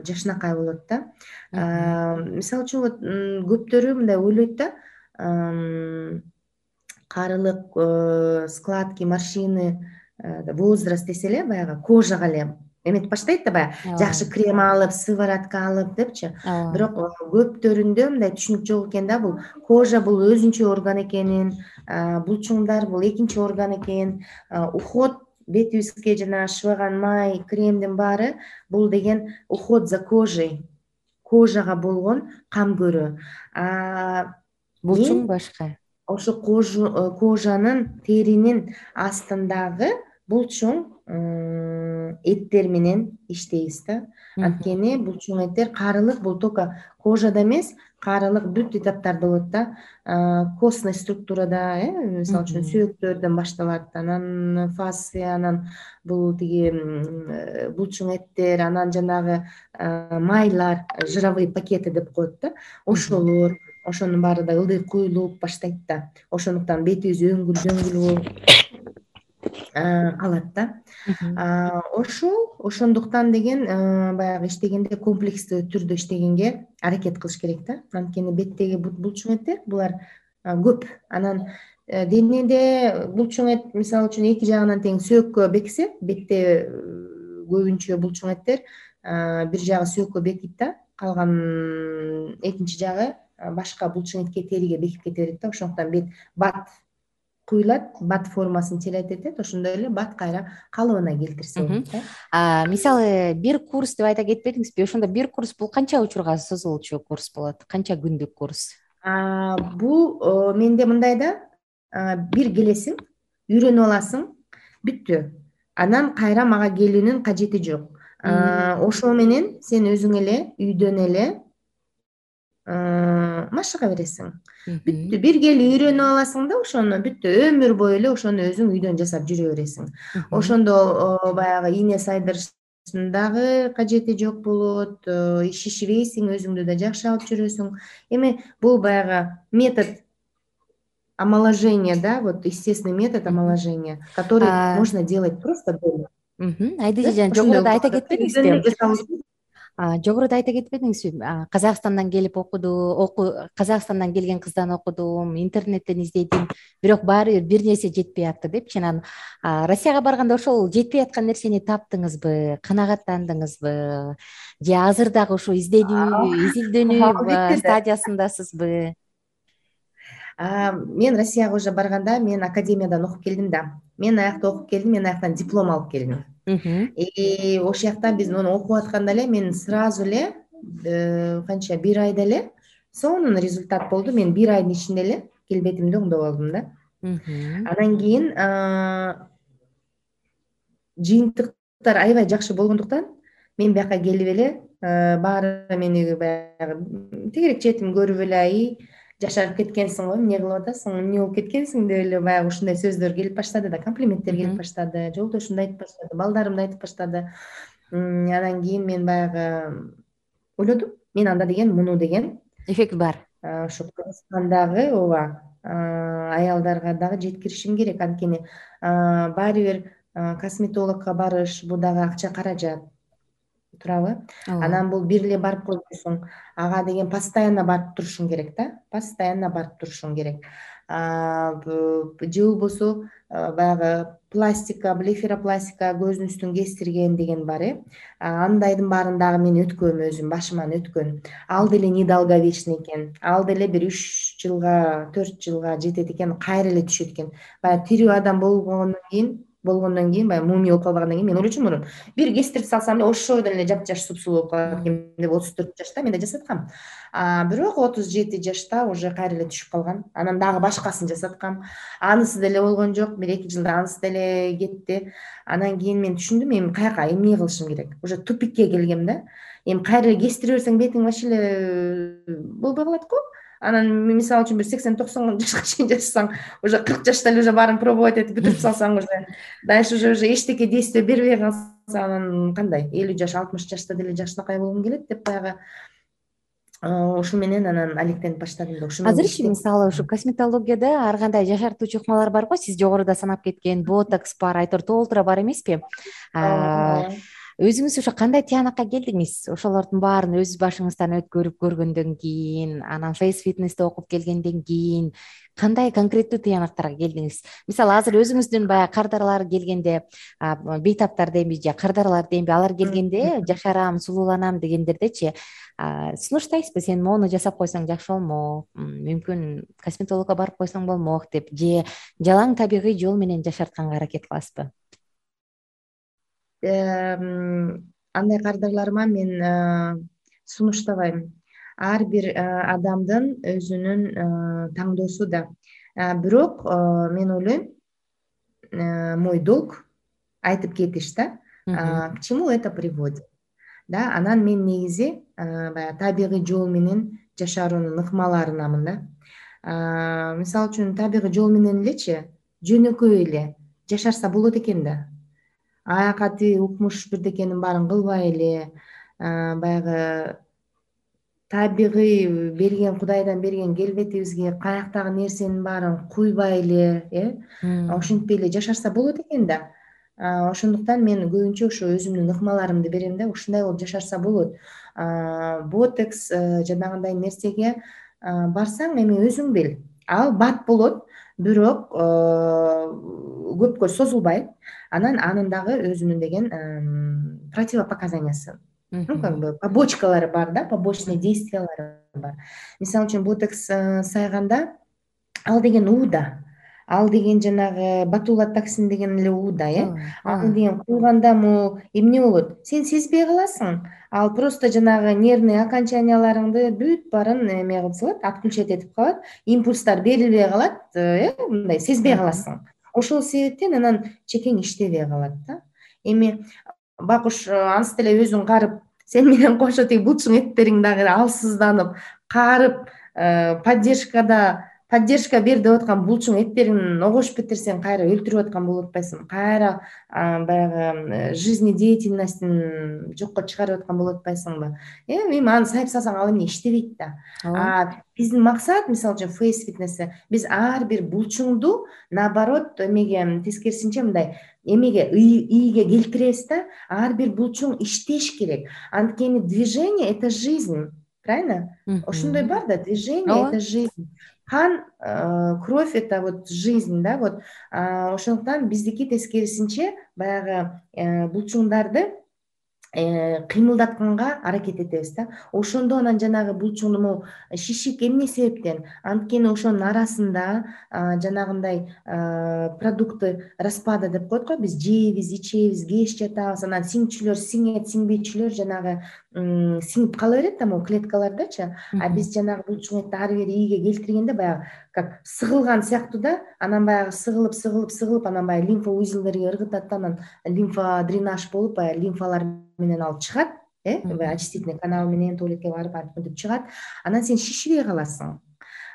жакшынакай болот да. Мисалы үчүн вот көптөрү мындай ойлойт да, карылык, складки, морщины, возраст десе эле, баягы кожага эле эметип баштайт да, баягы жакшы крем алып, сыворотка алып депчи. Бирок көптөрүндө мындай түшүнүк жок экен да, бул кожа бул өзүнчө орган экенин, булчуңдар бул экинчи орган экен, уход бетибизге жана шыбаган май, кремдин баары бул деген уход за кожей, кожага болгон кам көрүү. Булчуң башка. Ошо кожанын, теринин астындагы булчуң эттер менен иштейбиз да. Анткени булчуң эттер, карылык бул только кожада эмес, карылык бүт этаптарда болот да. Костный структурада, мисалы үчүн сөөктөрдөн башталат, анан фасция, анан бул тиги булчуң эттер, анан жанагы майлар, жировые пакеты деп коет да. Ошолор, ошонун баары да ылдый куюлуп баштайт да. Ошондуктан бетибиз өңгүл болуп калат да. Ошондуктан деген баягы иштегенде комплекстүү түрдө иштегенге аракет кылыш керек да. Анткени беттеги булчуң эттер булар көп. Анан денеде булчуң эт, мисалы үчүн эки жагынан тең сөөккө бексе, бетте көбүнчө булчуң эттер бир жагы сөөккө бекийт да, калган экинчи жагы башка булчуң этке, териге бекип кете берет да. Ошондуктан бет бат куюлат, бат формасын челетет, ошондой эле бат кайра калыбына келтирсе болот да. Мисалы, бир курс деп айта кетпедиңизби? Ошондо бир курс бул канча учурга созулчу курс болот? Канча күндүк курс? Бул менде мындай да, бир келесиң, үйрөнүп аласың, бүттү. Анан кайра мага келүүнүн кажети жок. Ошол менен сен өзүң эле үйдөн эле машыга бересиң. Бүттү. Бир келип үйрөнүп аласың да, ошону бүттү. Өмүр бою эле ошону өзүң үйдөн жасап жүрө бересиң. Ошондо баягы ийне сайдырыштын дагы кажети жок болот, шишибейсиң, өзүңдү да жакшы алып жүрөсүң. Эми бул баягы метод омоложения, да, вот естественный метод омоложения, который можно делать просто дома. Айдыжы жан, жогоруда айта кетпедиңизби? Жогоруда айта кетпедиңизби? Казакстандан келип Казакстандан келген кыздан окудум, интернеттен издедим, бирок баары бир нерсе жетпей атты депчи. Анан Россияга барганда ошол жетпей аткан нерсени таптыңызбы, канагаттандыңызбы? Же азыр дагы ошо изилдөнүү стадиясындасызбы? Мен Россияга уже барганда мен академиядан окуп келдим да. Мен аякта окуп келдим, мен аяктан диплом алып келдим. Ошол жакта биз муну окуп атканда эле мен сразу эле канча бир айда эле сонун результат болду. Мен бир айдын ичинде эле келбетимди оңдоп алдым да. Анан кийин жыйынтыктар аябай жакшы болгондуктан мен бияка келип эле баары мени баягы тегерек четим көрүп эле жашарып кеткенсиң го, эмне кылып атасың, эмне болуп кеткенсиң деп эле баягы ушундай сөздөр келип баштады да, комплименттер келип баштады, жолдошум да айтып баштады, балдарым да айтып баштады. Анан кийин мен баягы ойлодум, мен анда деген муну деген эффект бар. ушу Кыргызстандагы ооба аялдарга дагы жеткиришим керек. Анткени баары бир косметологко барыш, бул дагы акча, каражат, туурабы? Анан бул бир эле барып койбойсуң, ага деген постоянно барып турушуң керек да, постоянно барып турушуң керек. Же болбосо баягы пластика, блефаропластика, көздүн үстүн кестирген деген бар. Андайдын баарын дагы мен өткөм, өзүм башыман өткөн. Ал деле недолговечный экен, ал деле бир 3 жылга, 4 жылга жетет экен, кайра эле түшөт экен. Баягы тирүү адам болгондон кийин баягы мумия болуп калбагандан кийин мен ойлочумун мурун бир кестирип салсам эле ошодон эле жапжаш супсулуу болуп калат экен деп 34 жашта мен да жасаткам. Бирок 37 жашта уже кайра эле түшүп калган. Анан дагы башкасын жасаткам. Анысы деле болгон жок. 1-2 жылда анысы деле кетти. Анан кийин мен түшүндүм, эми каяка, эмне кылышым керек. Уже тупикке келгем да. Эми кайра эле кестире берсең бетиң вообще эле болбой калат го. Анан мисалы үчүн бир 80-90 жашка чейин жашасаң, уже 40 жашта эле уже баарын пробовать этип бүтүрүп салсаң, уже дальше уже эчтеке действие бербей калса, анан кандай 50 жаш, 60 жашта деле жакшынакай болгум келет деп баягы ошо менен анан алектенип баштадым да. Ошо менен Азырчы мисалы ушу косметологияда ар кандай жашартуучу ыкмалар бар го, сиз жогоруда санап кеткен ботокс бар, айтор толтура бар эмеспи? Өзүңүз ошо кандай тыянакка келдиңиз? Ошолордун баарын өз башыңыздан өткөрүп көргөндөн кийин, анан фейс фитнести окуп келгенден кийин кандай конкреттүү тыянактарга келдиңиз? Мисалы азыр өзүңүздүн баягы кардарлар келгенде, бейтаптар дейинби же кардарлар дейинби, алар келгенде жашарам, сулууланам дегендердечи сунуштайсызбы, сен моуну жасап койсоң жакшы болмок, мүмкүн косметологко барып койсоң болмок деп, же жалаң табигый жол менен жашартканга аракет кыласызбы? Андай кардарларыма мен сунуштабайм. Ар бир адамдын өзүнүн таңдоосу да. Бирок мен ойлойм, мой долг айтып кетиш да, к чему это приводит. Да, анан мен негизи баягы табигый жол менен жашаруунун ыкмаларынамын да. Мисалы үчүн табигый жол менен элечи жөнөкөй эле жашарса болот экен да. Аяка тиги укмуш бирдекенин баарын кылбай эле, баягы табигый берген, Кудайдан берген келбетибизге каяктагы нерсенин баарын куйбай эле, ошентпей эле жашарса болот экен да. Ошондуктан мен көбүнчө ошо өзүмдүн ыкмаларымды берем да, ушундай болуп жашарса болот. Ботокс жанагындай нерсеге барсаң, эми өзүң бил, ал бат болот, бирок көпкө созулбайт. Анан анын дагы өзүнүн деген противопоказаниясы, как бы побочкалары бар да, побочный действиялары бар. Мисалы үчүн ботокс сайганда ал деген ууда, ал деген жанагы ботулотоксин деген эле ууда, аны деген куйганда эмне болот? Сен сезбей каласың. Ал просто жанагы нервный окончанияларыңды бүт баарын эме кылып салат, отключать этип калат, импульстар берилбей калат, мындай сезбей каласың. Ошол себептен анан чекең иштебей калат да. Эми бакуш анысы деле өзүң карып, сен менен кошо тиги булчуң эттериң дагы алсызданып, карып, поддержка бер деп аткан булчуң эттериң огошуп кетирсең, кайра өлтүрүп аткан болуп атпайсыңбы? Кайра баягы жизнедеятельностин жокко чыгарып аткан болуп атпайсыңбы? Эми аны сайып салсаң, ал эмне иштебейт да. Биздин максат, мисалы үчүн фейс фитнесте, биз ар бир булчуңду наоборот эмеге тескерисинче мындай эмеге ийге келтиребиз да. Ар бир булчуң иштеш керек. Анткени движение — это жизнь, правильно? Ошондой бар да, движение — это жизнь. Кан, кровь — это вот жизнь, да, вот. Ошондуктан биздики тескерисинче баягы булчуңдарды кыймылдатканга аракет этебиз да. Ошондо анан жанагы булчуңду шишик эмне себептен? Анткени ошонун арасында жанагындай продукты распада деп коет го, биз жейбиз, ичебиз, кеч жатабыз, анан сиңчүлөр сиңет, сиңбейчүлөр жанагы сиңип кала берет да, могу клеткалардачы. Биз жанагы булчуң этти ары бери ийге келтиргенде баягы как сыгылган сыяктуу да, анан баягы сыгылып, анан баягы лимфа узелдерге ыргытат, анан лимфа дренаж болуп, баягы лимфалар менен алып чыгат, очистительный канал менен туалетке барып антип чыгат. Анан сен шишпей каласың.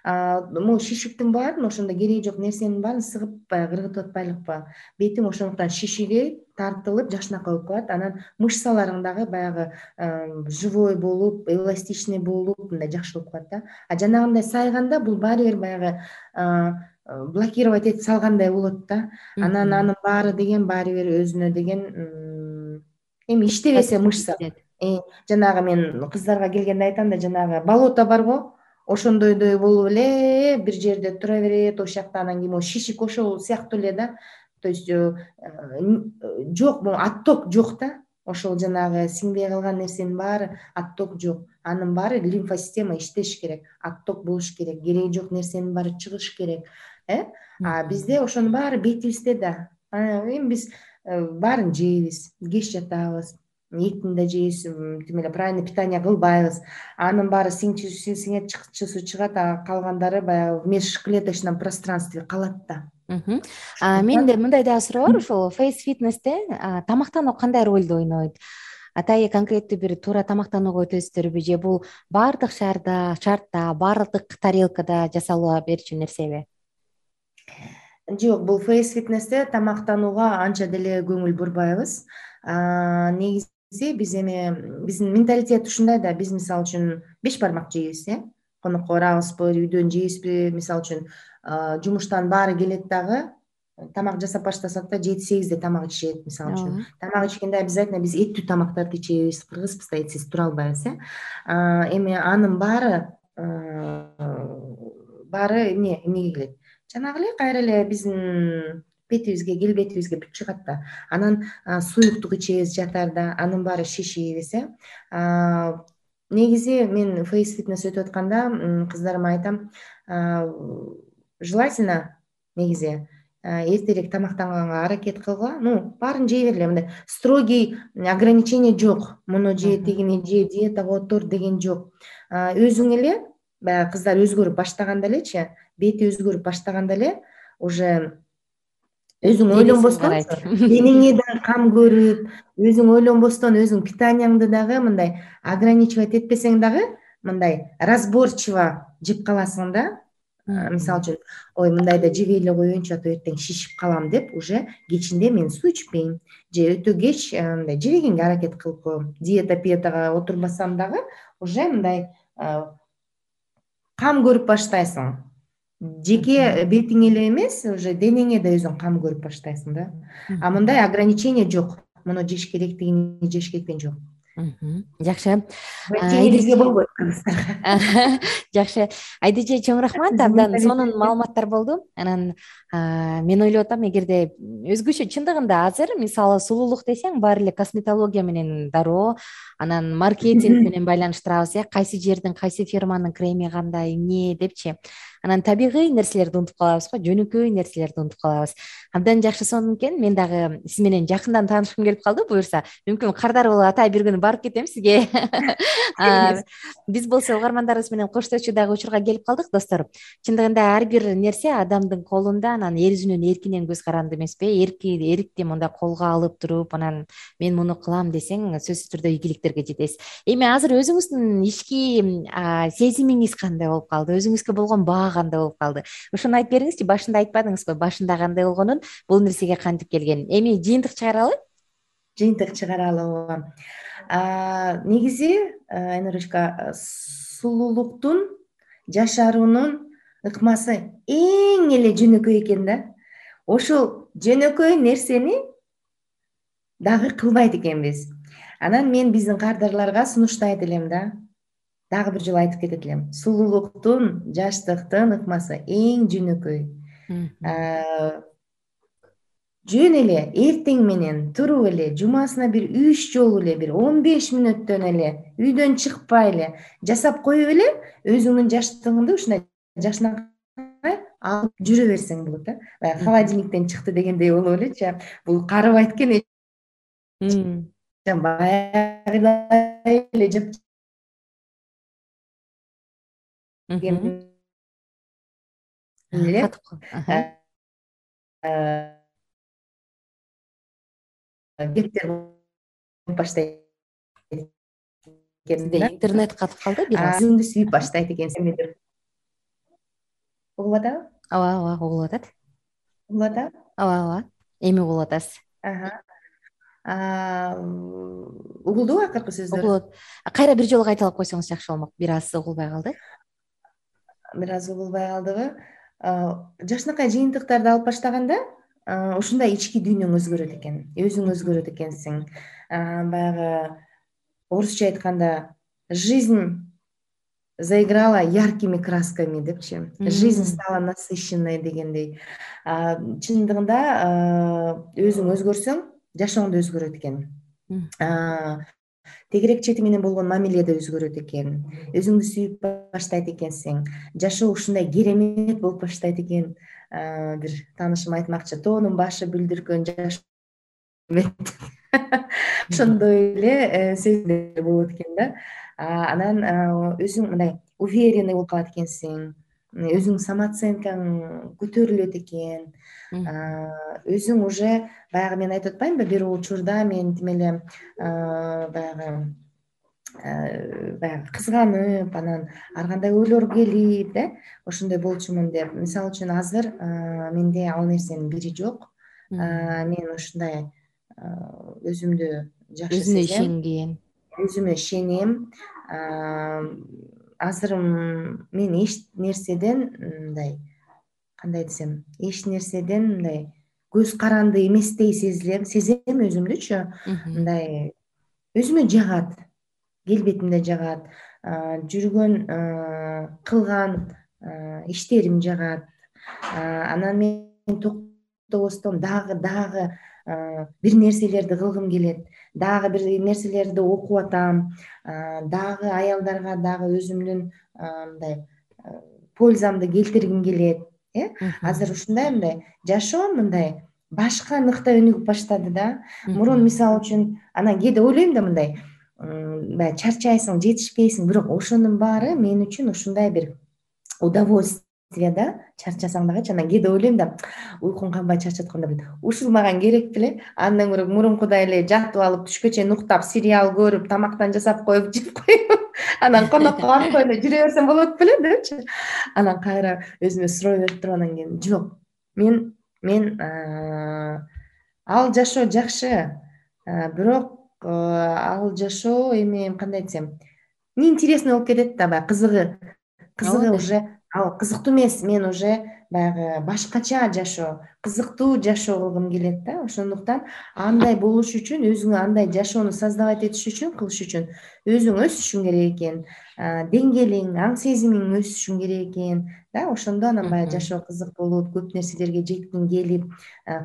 могу шишиктин баарын, ошондо кереги жок нерсенин баарын сыгып баягы ыргытып атпайлыкпы, бетиң ошондуктан шишиги тартылып жакшынакай болуп калат. Анан мышцаларың дагы баягы живой болуп, эластичный болуп, мындай жакшы болуп калат да. А жанагындай сайганда бул баары бир баягы блокировать этип салгандай болот да. Анан анын баары деген баары бир өзүнө деген эми иштебесе мышца. Жанагы мен кыздарга келгенде айтам да, жанагы болото барго, ошондойдой болуп эле бир жерде тура берет, ошол жакта анан кийин могу шишик ошол сыяктуу эле да. То есть жок, могу отток жок да. Ошол жанагы сиңбей калган нерсенин баары отток жок. Анын баары лимфосистема иштеш керек, отток болуш керек, кереги жок нерсенин баары чыгыш керек. А бизде ошонун баары бетибизде да. Эми биз баарын жейбиз, кеч жатабыз, этин да жейбиз, тим эле правильный питание кылбайбыз. Анын баары сиңет, чыкчусу чыгат, а калгандары баягы в межклеточном пространстве калат да. Менде мындай дагы суроо бар. Ошол фейс фитнесте тамактануу кандай ролду ойнойт? Атайы конкреттүү бир туура тамактанууга өтөсүздөрбү, же бул баардык шартта, баардык тарелкада жасала берчү нерсеби? Жок, бул фейс фитнесте тамактанууга анча деле көңүл бурбайбыз. Негизи биздин менталитет ушундай да, биз мисалы үчүн 5 бармак жейбиз, конокко барабызбы, үйдөн жейбизби, мисалы үчүн жумуштан баары келет дагы, тамак жасап баштасак да 7-8де тамак ичет, мисалы үчүн. Тамак ичкенде обязательно биз эттүү тамактарды ичебиз, кыргызбыз да, этсиз тура албайбыз. Эми анын баары эмнеге келет? Жанагы эле кайра эле биздин бетибизге, келбетибизге бүт чыгат да. Анан суюктук ичебиз жатарда, анын баары шишийбиз. Негизи мен фейс фитнес өтүп атканда кыздарыма айтам, желательно негизи эртерээк тамактанганга аракет кылгыла. Баарын жей бергиле, мындай строгий ограничение жок. Муну же, тигини же, диетага отур деген жок. Өзүң эле баягы кыздар өзгөрүп баштаганда элечи, бети өзгөрүп баштаганда эле уже өзүң ойлонбостон, денеңе да кам көрүп, өзүң ойлонбостон, өзүң питанияңды дагы мындай ограничивать этпесең дагы, мындай разборчиво жеп каласың да. Мисалы үчүн, ой, мындайда жебей эле коеюнчу, а то эртең шишип калам деп, уже кечинде мен суу ичпейм, же өтө кеч мындай жебегенге аракет кылып коем. Диетага отурбасам дагы уже мындай кам көрүп баштайсың. Жеке бетиңе эле эмес, уже денеңе да өзүң кам көрүп баштайсың да. А мындай ограничение жок. Муну жеш керек, тигини жеш керек деген жок. Жакшы. Теңирге болбойт. Жакшы. Айдыже, чоң рахмат. Абдан сонун маалыматтар болду. Анан мен ойлоп атам, эгерде өзгөчө чындыгында азыр мисалы сулуулук десең, баары эле косметология менен дароо, анан маркетинг менен байланыштырабыз, кайсы жердин, кайсы фирманын креми кандай, эмне депчи. Анан табигый нерселерди унутуп калабыз го, жөнөкөй нерселерди унутуп калабыз. Абдан жакшы сонун экен. Мен дагы сиз менен жакындан таанышкым келип калды. Буюрса, мүмкүн Кардар болуп атай бир күнү барып кетем сизге. Биз болсо угармандарыбыз менен коштошчу дагы учурга келип калдык, достор. Чындыгында ар бир нерсе адамдын колунда, анан эр өзүнүн эркинен көз каранды эмеспи? Эркти мындай колго алып туруп, анан мен муну кылам десең, сөзсүз түрдө ийгиликтерге жетесиз. Эми азыр өзүңүздүн ички сезимиңиз кандай болуп калды? Өзүңүзгө болгон баа кандай болуп калды? Ошону айтып бериңизчи. Башында айтпадыңызбы? Башында кандай болгонун, бул нерсеге кантип келгенин? Эми жыйынтык чыгаралы? Жыйынтык чыгаралы. Негизи, Айнурочка, сулуулуктун, жашаруунун ыкмасы эң эле жөнөкөй экен да. Ошол жөнөкөй нерсени дагы кылбайт экенбиз. Анан мен биздин кардарларга сунуштайт элем да. Дагы бир жолу айтып кетет элем. Сулуулуктун, жаштыктын ыкмасы эң жөнөкөй. Жөн эле эртең менен туруп эле, жумасына бир 3 жолу эле, бир 15 мүнөттөн эле, үйдөн чыкпай эле жасап коюп эле, өзүңдүн жаштыгыңды ушундай жакшынакай алып жүрө берсең болот да. Баягы холодильниктен чыкты дегендей болуп элечи. Бул карыбайт экен. Баягыдай эле жап кептер баштайт экен. Интернет катып калды бир аз. Өзүңдү сүйүп баштайт экенсиң. угуп атабы? ооба угулуп атат. Угуп атабы? Ооба эми угулуп атасыз. Угулдубу акыркы сөздөр? Угулут. Кайра бир жолу кайталап койсоңуз жакшы болмок, бир аз угулбай калды. Бир аз угулбай калдыбы? Жакшынакай жыйынтыктарды алып баштаганда ушундай ички дүйнөң өзгөрөт экен, өзүң өзгөрөт экенсиң. Баягы орусча айтканда жизнь заиграла яркими красками депчи, жизнь стала насыщенной дегендей. Чындыгында өзүң өзгөрсөң, жашооң да өзгөрөт экен. Тегерек чети менен болгон мамиле да өзгөрөт экен. Өзүңдү сүйүп баштайт экенсиң. Жашоо ушундай керемет болуп баштайт экен. Бир таанышым айтмакчы, тоонун башы бүлдүргөн жашоо ошондой эле сезимдер болот экен да. Анан өзүң мындай уверенный болуп калат экенсиң. Өзүң самооценкаң көтөрүлөт экен. Өзүң уже баягы мен айтып атпаймынбы, бир учурда мен тим эле баягы кызганып, анан ар кандай ойлор келип, ошондой болчумун деп. Мисалы үчүн азыр менде ал нерсенин бири жок. Мен ушундай өзүмдү жакшы Өзүнө сезем, ишенген. өзүмө ишенем. Азыр мен эч нерседен мындай, кандай десем, эч нерседен мындай көз каранды эместей сезем өзүмдүчү. Мындай өзүмө жагат, келбетим да жагат, жүргөн кылган иштерим жагат. Анан мен токтобостон дагы бир нерселерди кылгым келет, дагы бир нерселерди окуп атам, дагы аялдарга дагы өзүмдүн мындай пользамды келтиргим келет. Азыр ушундай мындай жашоом мындай башканыктай өнүгүп баштады да. Мурун мисалы үчүн анан кээде ойлойм да мындай, баягы чарчайсың, жетишпейсиң, бирок ошонун баары мен үчүн ушундай бир удовольствие да. Чарчасаң дагычы, анан кээде ойлойм да, уйкум канбай чарчаткам деп, ушул мага керек беле? Андан көрө мурункудай эле жатып алып, түшкө чейин уктап, сериал көрүп, тамактан жасап коюп, жеп коюп, анан конокко барып эле жүрө берсем болот беле депчи. Анан кайра өзүмө суроо берип туруп, анан кийин жок, мен ал жашоо жакшы, бирок ал жашоо эми кандай десем, неинтересный болуп кетет да, баягы кызыгы уже ал кызыктуу эмес. Мен уже баягы башкача жашоо, кызыктуу жашоо кылгым келет да. Ошондуктан андай болуш үчүн, өзүңө андай жашоону создавать этиш үчүн, кылыш үчүн өзүң өсүшүң керек экен, деңгээлиң, аң сезимиң өсүшүң керек экен да. Ошондо анан баягы жашоо кызык болот, көп нерселерге жеткиң келип,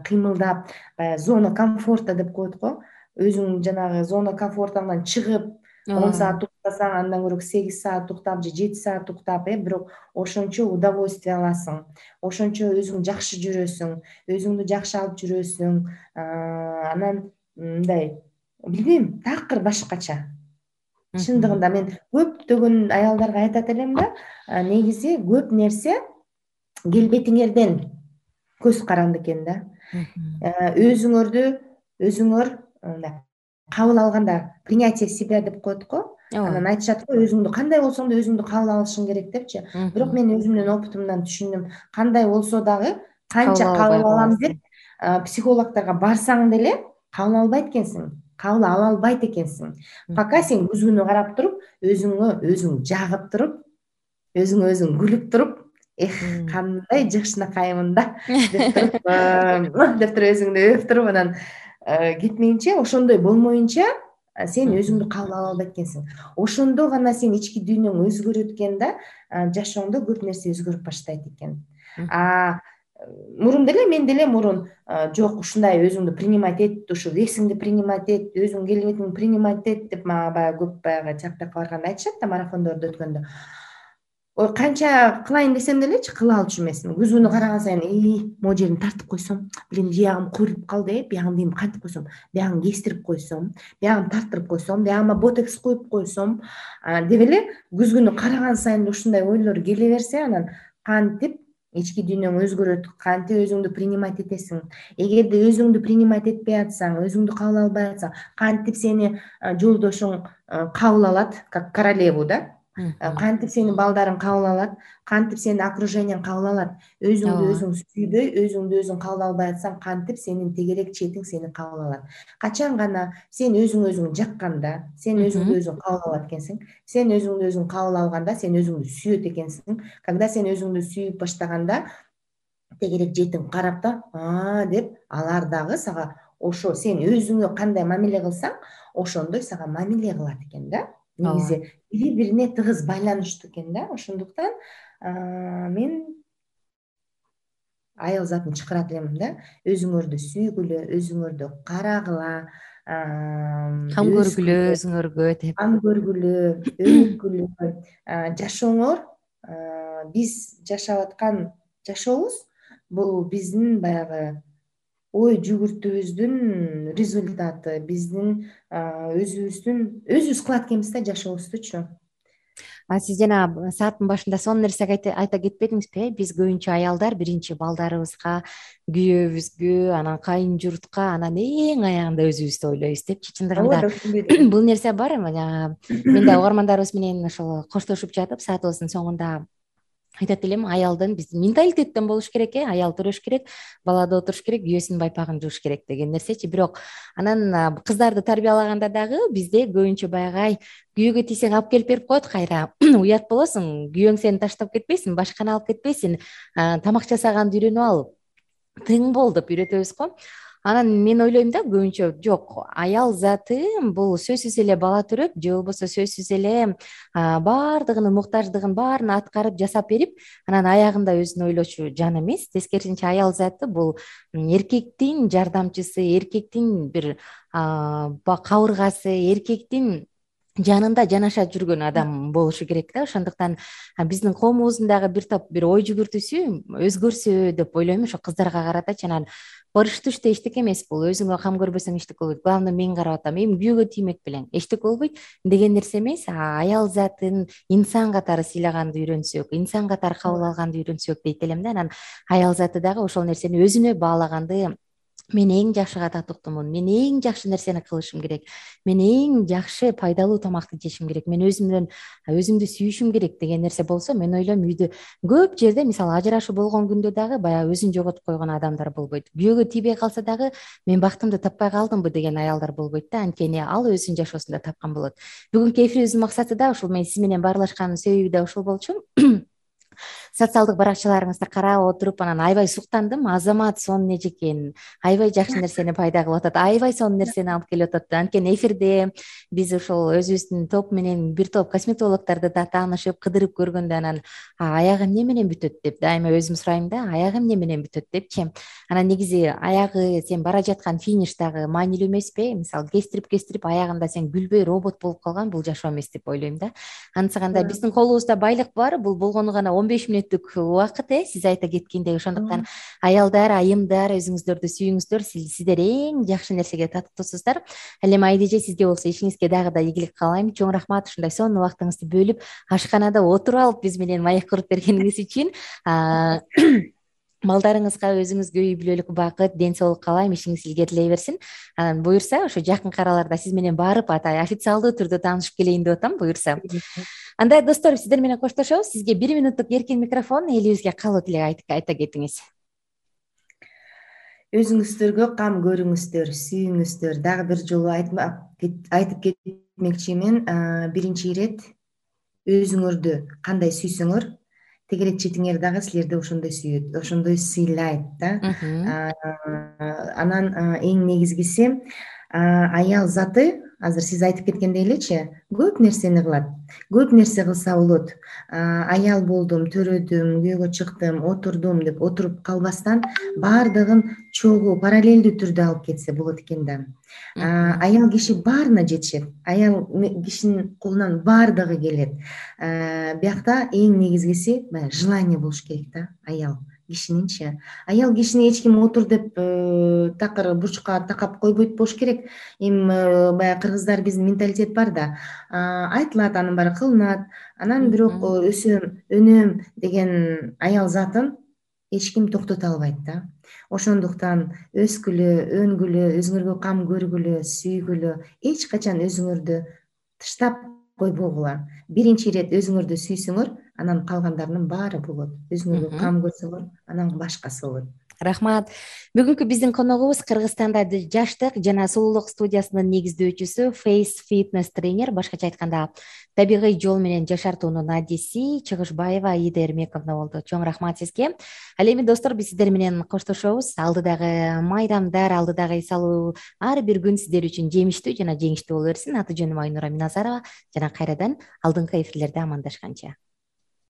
кыймылдап, баягы зона комфорта деп коет го. Өзүң жанагы зона комфортуңан чыгып 10 саат уктасаң, андан көрө 8 саат уктап же 7 саат уктап, бирок ошончо удовольствие аласың, ошончо өзүң жакшы жүрөсүң, өзүңдү жакшы алып жүрөсүң. Анан мындай, билбейм, такыр башкача. Чындыгында мен көптөгөн аялдарга айтат элем да, негизи көп нерсе келбетиңерден көз каранды экен да. Өзүңөр мындай кабыл алганда принятие себя деп коет го. Анан айтышат го, өзүңдү кандай болсоң да өзүңдү кабыл алышың керек депчи. Бирок мен өзүмдүн опытымдан түшүндүм, кандай болсо дагы, канча кабыл алам деп психологторго барсаң деле кабыл албайт экенсиң, кабыл ала албайт экенсиң. Пока сен көзгөнү карап туруп, өзүң жагып туруп, өзүңө өзүң күлүп туруп, кандай жакшынакаймын да деп туруп өзүңдү өөп туруп, анан кетмейинче, ошондой болмоюнча сен өзүңдү кабыл ала албайт экенсиң. Ошондо гана сен ички дүйнөң өзгөрөт экен да, жашооңдо көп нерсе өзгөрүп баштайт экен. Мурун деле мен деле жок, ушундай өзүңдү принимать эт, ушу весиңди принимать эт, өзүңдүн келбетиңди принимать эт деп мага баягы көп терапевтка барганда айтышат да, марафондорду өткөндө. Ой, канча кылайын десем делечи кыла алчу эмесмин. Көзгөнү караган сайын могу жерин тартып койсом, билем биягым куйруп калды, биягымды кантип койсом, биягымды кестирип койсом, биягымды тартырып койсом, биягыма ботекс коюп койсом деп эле көзгөнү караган сайын ушундай ойлор келе берсе, анан кантип ички дүйнөң өзгөрөт, кантип өзүңдү принимать этесиң. Эгерде өзүңдү принимать этпей атсаң, өзүңдү кабыл албай атсаң, кантип сени жолдошуң кабыл алат, как королеву да, кантип сени балдарың кабыл алат, кантип сени окружениең кабыл алат. Өзүңдү өзүң сүйбөй, өзүңдү өзүң кабыл албай атсаң, кантип сенин тегерек четиң сени кабыл алат. Качан гана сен өзүңдү өзүң жакканда, сен өзүңдү өзүң кабыл алат экенсиң. Сен өзүңдү өзүң кабыл алганда, сен өзүңдү сүйөт экенсиң. Когда сен өзүңдү сүйүп баштаганда, тегерек жетиң карап да, деп алар дагы сага ошо сен өзүңө кандай мамиле кылсаң, ошондой сага мамиле кылат экен да. Негизи бири бирине тыгыз байланыштуу экен да. Ошондуктан мен аял затын чакырат элем да. Өзүңөрдү сүйгүлө, өзүңөрдү карагыла, кам көргүлө өзүңөргө деп. Кам көргүлө, өнүккүлө. Жашооңор биз жашап аткан жашообуз бул биздин баягы ой жүгүртүүбүздүн результаты, биздин өзүбүз кылат экенбиз да жашообуздучу. Сиз жана сааттын башында сонун нерсе айта кетпедиңизби? Биз көбүнчө аялдар биринчи балдарыбызга, күйөөбүзгө, анан кайын журтка, анан эң аягында өзүбүздү ойлойбуз депчи. Чындыгында бул нерсе бар. Мен да угармандарыбыз менен ошол коштошуп жатып, саатыбыздын соңунда айтат элем, аялдын биздин менталитеттен болуш керек, аял төрөш керек, балада отуруш керек, күйөөсүнүн байпагын жууш керек деген нерсечи. Бирок анан кыздарды тарбиялаганда дагы бизде көбүнчө баягы күйөөгө тийсең алып келип берип коет кайра. Уят болосуң, күйөөң сени таштап кетпесин, башканы алып кетпесин, тамак жасаганды үйрөнүп ал, тың бол деп үйрөтөбүз го. Анан мен ойлойм да, көбүнчө жок, аял заты бул сөзсүз эле бала төрөп, же болбосо сөзсүз эле баардыгынын муктаждыгын баарын аткарып жасап берип, анан аягында өзүн ойлочу жан эмес. Тескерисинче аял заты бул эркектин жардамчысы, эркектин бир кабыргасы, эркектин жанында жанаша жүргөн адам болушу керек да. Ошондуктан биздин коомубуздун дагы бир топ бир ой жүгүртүүсү өзгөрсө деп ойлойм, ошо кыздарга карата. Анан барыштуу иште эчтеке эмес бул. Өзүңө кам көрбөсөң эчтеке болбойт. Главное мен карап атам, эми күйөөгө тиймек белең эчтеке болбойт деген нерсе эмес. Аял затын инсан катары сыйлаганды үйрөнсөк, инсан катары кабыл алганды үйрөнсөк дейт элем да. Анан аял заты дагы ошол нерсени өзүнө баалаганды, мен эң жакшы татыктуумун, мен эң жакшы нерсени кылышым керек, мен эң жакшы пайдалуу тамакты жешим керек, мен өзүмдү сүйүшүм керек деген нерсе болсо, мен ойлойм үйдө көп жерде, мисалы ажырашуу болгон күндө дагы баягы өзүн жоготуп койгон адамдар болбойт. Күйөөгө тийбей калса дагы мен бактымды таппай калдымбы деген аялдар болбойт да. Анткени ал өзүнүн жашоосунда тапкан болот. Бүгүнкү эфирибиздин максаты да ушул. Мен сиз менен баарлашкандын себеби да ушул болчу. Социалдык баракчаларыңызды карап отуруп, анан аябай суктандым. Азамат сонун эже экен, аябай жакшы нерсени пайда кылып атат, аябай сонун нерсени алып келип атат. Анткени эфирде биз ошол өзүбүздүн топ менен бир топ косметологдорду да таанышып, кыдырып көргөндө, анан аягы эмне менен бүтөт деп дайыма өзүм сурайм да, аягы эмне менен бүтөт депчи. Анан негизи аягы сен бара жаткан фиништагы маанилүү эмеспи? Мисалы кестирип аягында сен күлбөй робот болуп калган, бул жашоо эмес деп ойлойм да. Ансыганда биздин колубузда байлык бар, бул болгону гана 15 мүнөттүк убакыт, сиз айта кеткендей. Ошондуктан аялдар, айымдар, өзүңүздөрдү сүйүңүздөр, сиздер эң жакшы нерсеге татыктуусуздар. Ал эми Айдеже, сизге болсо ишиңизге дагы да ийгилик каалайм. Чоң рахмат ушундай сонун убактыңызды бөлүп, ашканада отуруп алып биз менен маек куруп бергениңиз үчүн. Балдарыңызга, өзүңүзгө үй бүлөлүк бакыт, ден соолук каалайм, ишиңиз илгерилей берсин. Анан буюрса ошо жакынкы араларда сиз менен барып официалдуу түрдө таанышып келейин деп атам, буюрса. Андай достор, сиздер менен коштошобуз. Сизге 1 мүнөттүк эркин микрофон, элибизге каалоо тилек айта кетиңиз. Өзүңүздөргө кам көрүңүздөр, сүйүңүздөр. Дагы бир жолу айтып кетмекчимин. Биринчи ирет өзүңөрдү кандай сүйсөңөр, тегерек четиңер дагы силерди ошондой сүйөт, ошондой сыйлайт да. Анан эң негизгиси, аял заты азыр сиз айтып кеткендей элечи, көп нерсени кылат. Көп нерсе кылса болот. Аял болдум, төрөдүм, күйөөгө чыктым, отурдум деп отуруп калбастан баардыгын чогуу параллелдүү түрдө алып кетсе болот экен да. Аял киши баарына жетишет. Аял кишинин колунан баардыгы келет. Биякта эң негизгиси баягы желание болуш керек да. Аял кишининчи. Аял кишини эч ким отур деп такыр бурчка такап койбойт болуш керек. Эми баягы кыргыздар биздин менталитет бар да. Айтылат, анын баары кылынат. Анан бирок өсөм, өнөм деген аял затын эч ким токтото албайт да. Ошондуктан өскүлө, өнгүлө, өзүңөргө кам көргүлө, сүйгүлө, эч качан өзүңөрдү таштап койбогула. Биринчи ирет өзүңөрдү сүйсүңөр, анан калгандарынын баары болот. Өзүңөргө кам көрсөңөр, анан башкасы болот. Рахмат. Бүгүнкү биздин коногубуз Кыргызстанда жаштык жана сулуулук студиясынын негиздөөчүсү Face Fitness тренер, башкача айтканда табигый жол менен жашартуунун адиси Чыгышбаева Аида Эрмековна болду. Чоң рахмат сизге. Ал эми достор, биз сиздер менен коштошобуз. Алдыдагы майрамдар, алдыдагы эс алуу ар бир күн сиздер үчүн жемиштүү жана жеңиштүү боло берсин. Аты жөнүм Айнура Миназарова жана кайрадан алдыңкы эфирлерде амандашканча.